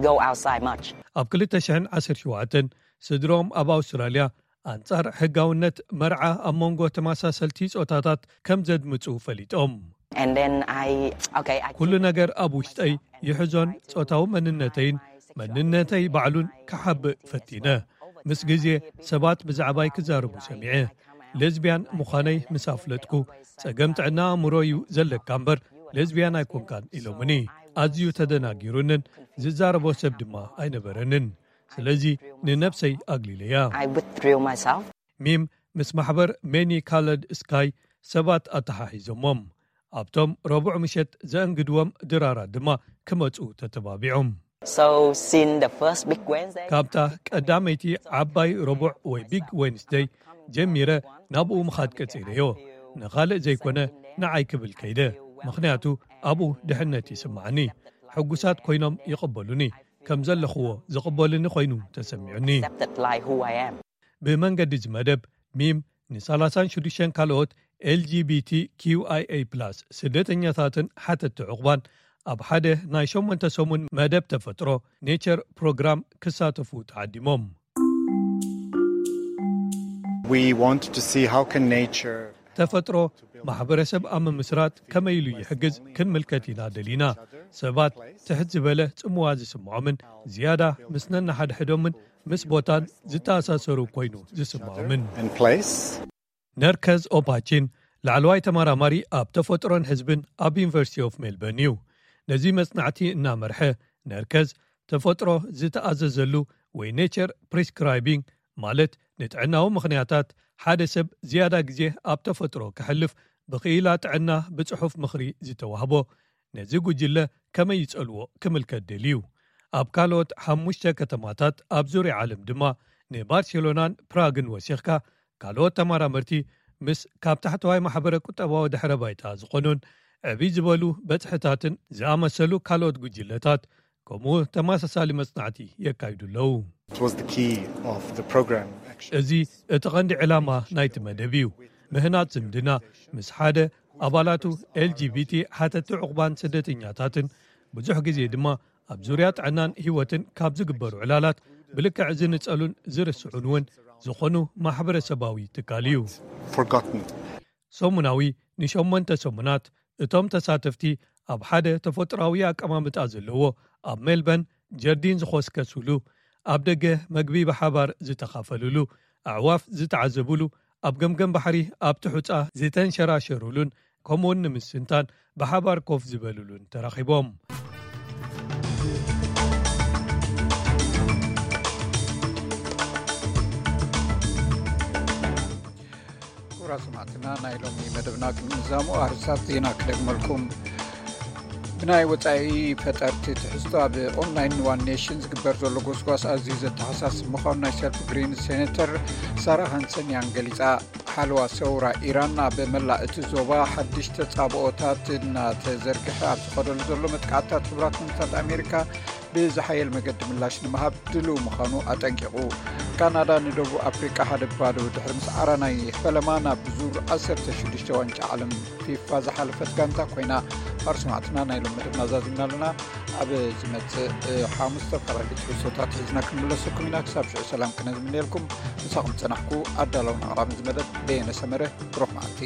Go outside much. ኣብ ክልተ ሽሕን ዓሰርተ ሸውዓተን ስድሮም ኣብ ኣውስትራልያ ኣንጻር ሕጋውነት መርዓ ኣብ መንጎ ተመሳሰልቲ ጾታታት ከም ዘድምጹ ፈሊጦም። And then I, okay, I ኩሉ ነገር ኣብ ውሽጠይ ይሕዞን ጾታዊ መንነተይን መንነተይ ባዕሉን ክሓብእ ፈቲነ። ምስ ግዜ ሰባት ብዛዕባይ ክዛረቡ ሰሚዐ። ሌዝቢያን ምዃነይ ምስ ኣፍለጥኩ፣ "ጸገም ጥዕና ኣእምሮ እዩ ዘለካ እምበር ሌዝቢያን ኣይኮንካን" ኢሎምኒ። ኣዝዩ ተደናጊሩንን ዝዛረቦ ሰብ ድማ ኣይነበረንን። ስለዚ ንነብሰይ ኣግሊለያ። I withdrew myself. ሚም ምስ ማሕበር ሜኒ ካለድ ስካይ ሰባት ኣተሓሒዞሞም። ኣብቶም ረቡዕ ምሸት ዘእንግድዎም ድራራት ድማ ክመጹ ተተባቢዖም። So since the first big Wednesday, ካብታ ቀዳመይቲ ዓባይ ረቡዕ ወይ ቢግ ዌንስደይ ጀሚረ ናብኡ ምኻድ ቀጺለዮ። ንኻልእ ዘይኮነ ንዓይ ክብል ከይደ፣ ምኽንያቱ ኣብኡ ድሕነት ይስምዓኒ። ሕጉሳት ኮይኖም ይቕበሉኒ፣ ከም ዘለኽዎ ዝቕበሉኒ ኮይኑ ተሰሚዑኒ። Accepted like who I am. ብመንገዲ እዚ መደብ ሚም ን36ን ካልኦት ኤልጂቢቲ ኪውኣይኤ ፕላስ ስደተኛታትን ሓተቲ ዕቑባን ኣብ ሓደ ናይ ሸሞንተ ሰሙን መደብ ተፈጥሮ ኔቸር ፕሮግራም ክሳተፉ ተዓዲሞም። We want to see how can nature ተፈጥሮ ማሕበረሰብ ኣብ ምምስራት ከመይ ኢሉ ይሕግዝ ክንምልከት ኢና ደሊና። ሰባት ትሕት ዝበለ ጽምዋ ዝስምዖምን ዝያዳ ምስ ነንሓድሕዶምን ምስ ቦታን ዝተኣሳሰሩ ኮይኑ ዝስምዖምን። and place. ነርከዝ ኦፓቺን ላዕለዋይ ተመራማሪ ኣብ ተፈጥሮን ህዝብን ኣብ ዩኒቨርሲቲ ኦፍ ሜልበርን እዩ። ነዚ መጽናዕቲ እናመርሐ ነርከዝ ተፈጥሮ ዝተኣዘዘሉ ወይ ኔቸር ፕሪስክራይቢንግ ማለት ንጥዕናዊ ምኽንያታት ሓደ ሰብ ዝያዳ ግዜ ኣብ ተፈጥሮ ክሕልፍ ብኽኢላ ጥዕና ብጽሑፍ ምኽሪ ዝተዋህቦ ነዚ ጉጅለ ከመይ ይጸልዎ ክምልከት ደልዩ። ኣብ ካልኦት ሓሙሽተ ከተማታት ኣብ ዙርያ ዓለም ድማ ንባርሴሎናን ፕራግን ወሲኽካ ካልኦት ተመራመርቲ ምስ ካብ ታሕተዋይ ማሕበረ ቁጠባዊ ድሕረ ባይታ ዝኾኑን ዕብይ ዝበሉ በጽሕታትን ዝኣመሰሉ ካልኦት ጉጅለታት ከምኡ ተመሳሳሊ መጽናዕቲ የካይዱ ኣለዉ። It was the key of the program, actually. እዚ እቲ ቐንዲ ዕላማ ናይቲ መደብ እዩ። ምህናጽ ዝምድና ምስ ሓደ ኣባላቱ ኤልጂቢቲ ሓተቲ ዕቑባን ስደተኛታትን ብዙሕ ግዜ ድማ ኣብ ዙርያ ጥዕናን ህይወትን ካብ ዝግበሩ ዕላላት ብልክዕ ዝንጸሉን ዝርስዑን እውን ዝኾኑ ማሕበረሰባዊ ትካል እዩ። Forgotten. ሰሙናዊ ንሸሞንተ ሰሙናት እቶም ተሳተፍቲ ኣብ ሓደ ተፈጥሮኣዊ ኣቀማምጣ ዘለዎ ኣብ ሜልበርን ጀርዲን ዝኾስከሱሉ፣ ኣብ ደገ መግቢ ብሓባር ዝተኻፈሉሉ፣ ኣዕዋፍ ዝተዓዘቡሉ፣ ኣብ ገምገም ባሕሪ ኣብቲ ሑጻ ዝተንሸራሸሩሉን ከምኡውን ንምስንታን ብሓባር ኮፍ ዝበሉሉን ተራኺቦም። ክቡራት ሰማዕትና፣ ናይ ሎሚ መደብና ክንዛሙ ኣርስታት ዜና ክደግመልኩም። ብናይ ወጻኢ ፈጠርቲ ትሕዝቶ ኣብ ኦንላይን ዋን ኔሽን ዝግበር ዘሎ ጎስጓስ ኣዝዩ ዘተሓሳስብ ምዃኑ ናይ ሰልፍ ግሪን ሴኔተር ሳራ ሃንሰን ያን ገሊጻ። ሓለዋ ሰውራ ኢራን ኣብ መላእ እቲ ዞባ ሓድሽ ተጻብኦታት እናተዘርግሐ ኣብ ዝኸደሉ ዘሎ መጥቃዕትታት ሕቡራት መንግስታት ኣሜሪካ ብዝሓየል መገዲ ምላሽ ንምሃብ ድልው ምዃኑ ኣጠንቂቑ። ካናዳ ንደቡብ ኣፍሪቃ ሓደ ባዶ ድሕሪ ምስዓራ ናይ ፈለማ ናብ ዙር ዓሰርተ ሽዱሽተ ዋንጫ ዓለም ፊፋ ዝሓለፈት ጋንታ ኮይና። ኣርስማዕትና ናይ ሎም መደብና ዛዚምና ኣለና። ኣብ ዝመጽእ ሓሙስ ዝተፈላለዩ ትሕዝቶታት ሒዝና ክንምለሰኩም ኢና። ክሳብ ሽዑ ሰላም ክነ ዝምነየልኩም። ምሳኹም ዝጸናሕኩ ኣዳላውን ኣቕራብን ዝመደብ በየነ ሰመረ። ብሩኽ መዓልቲ።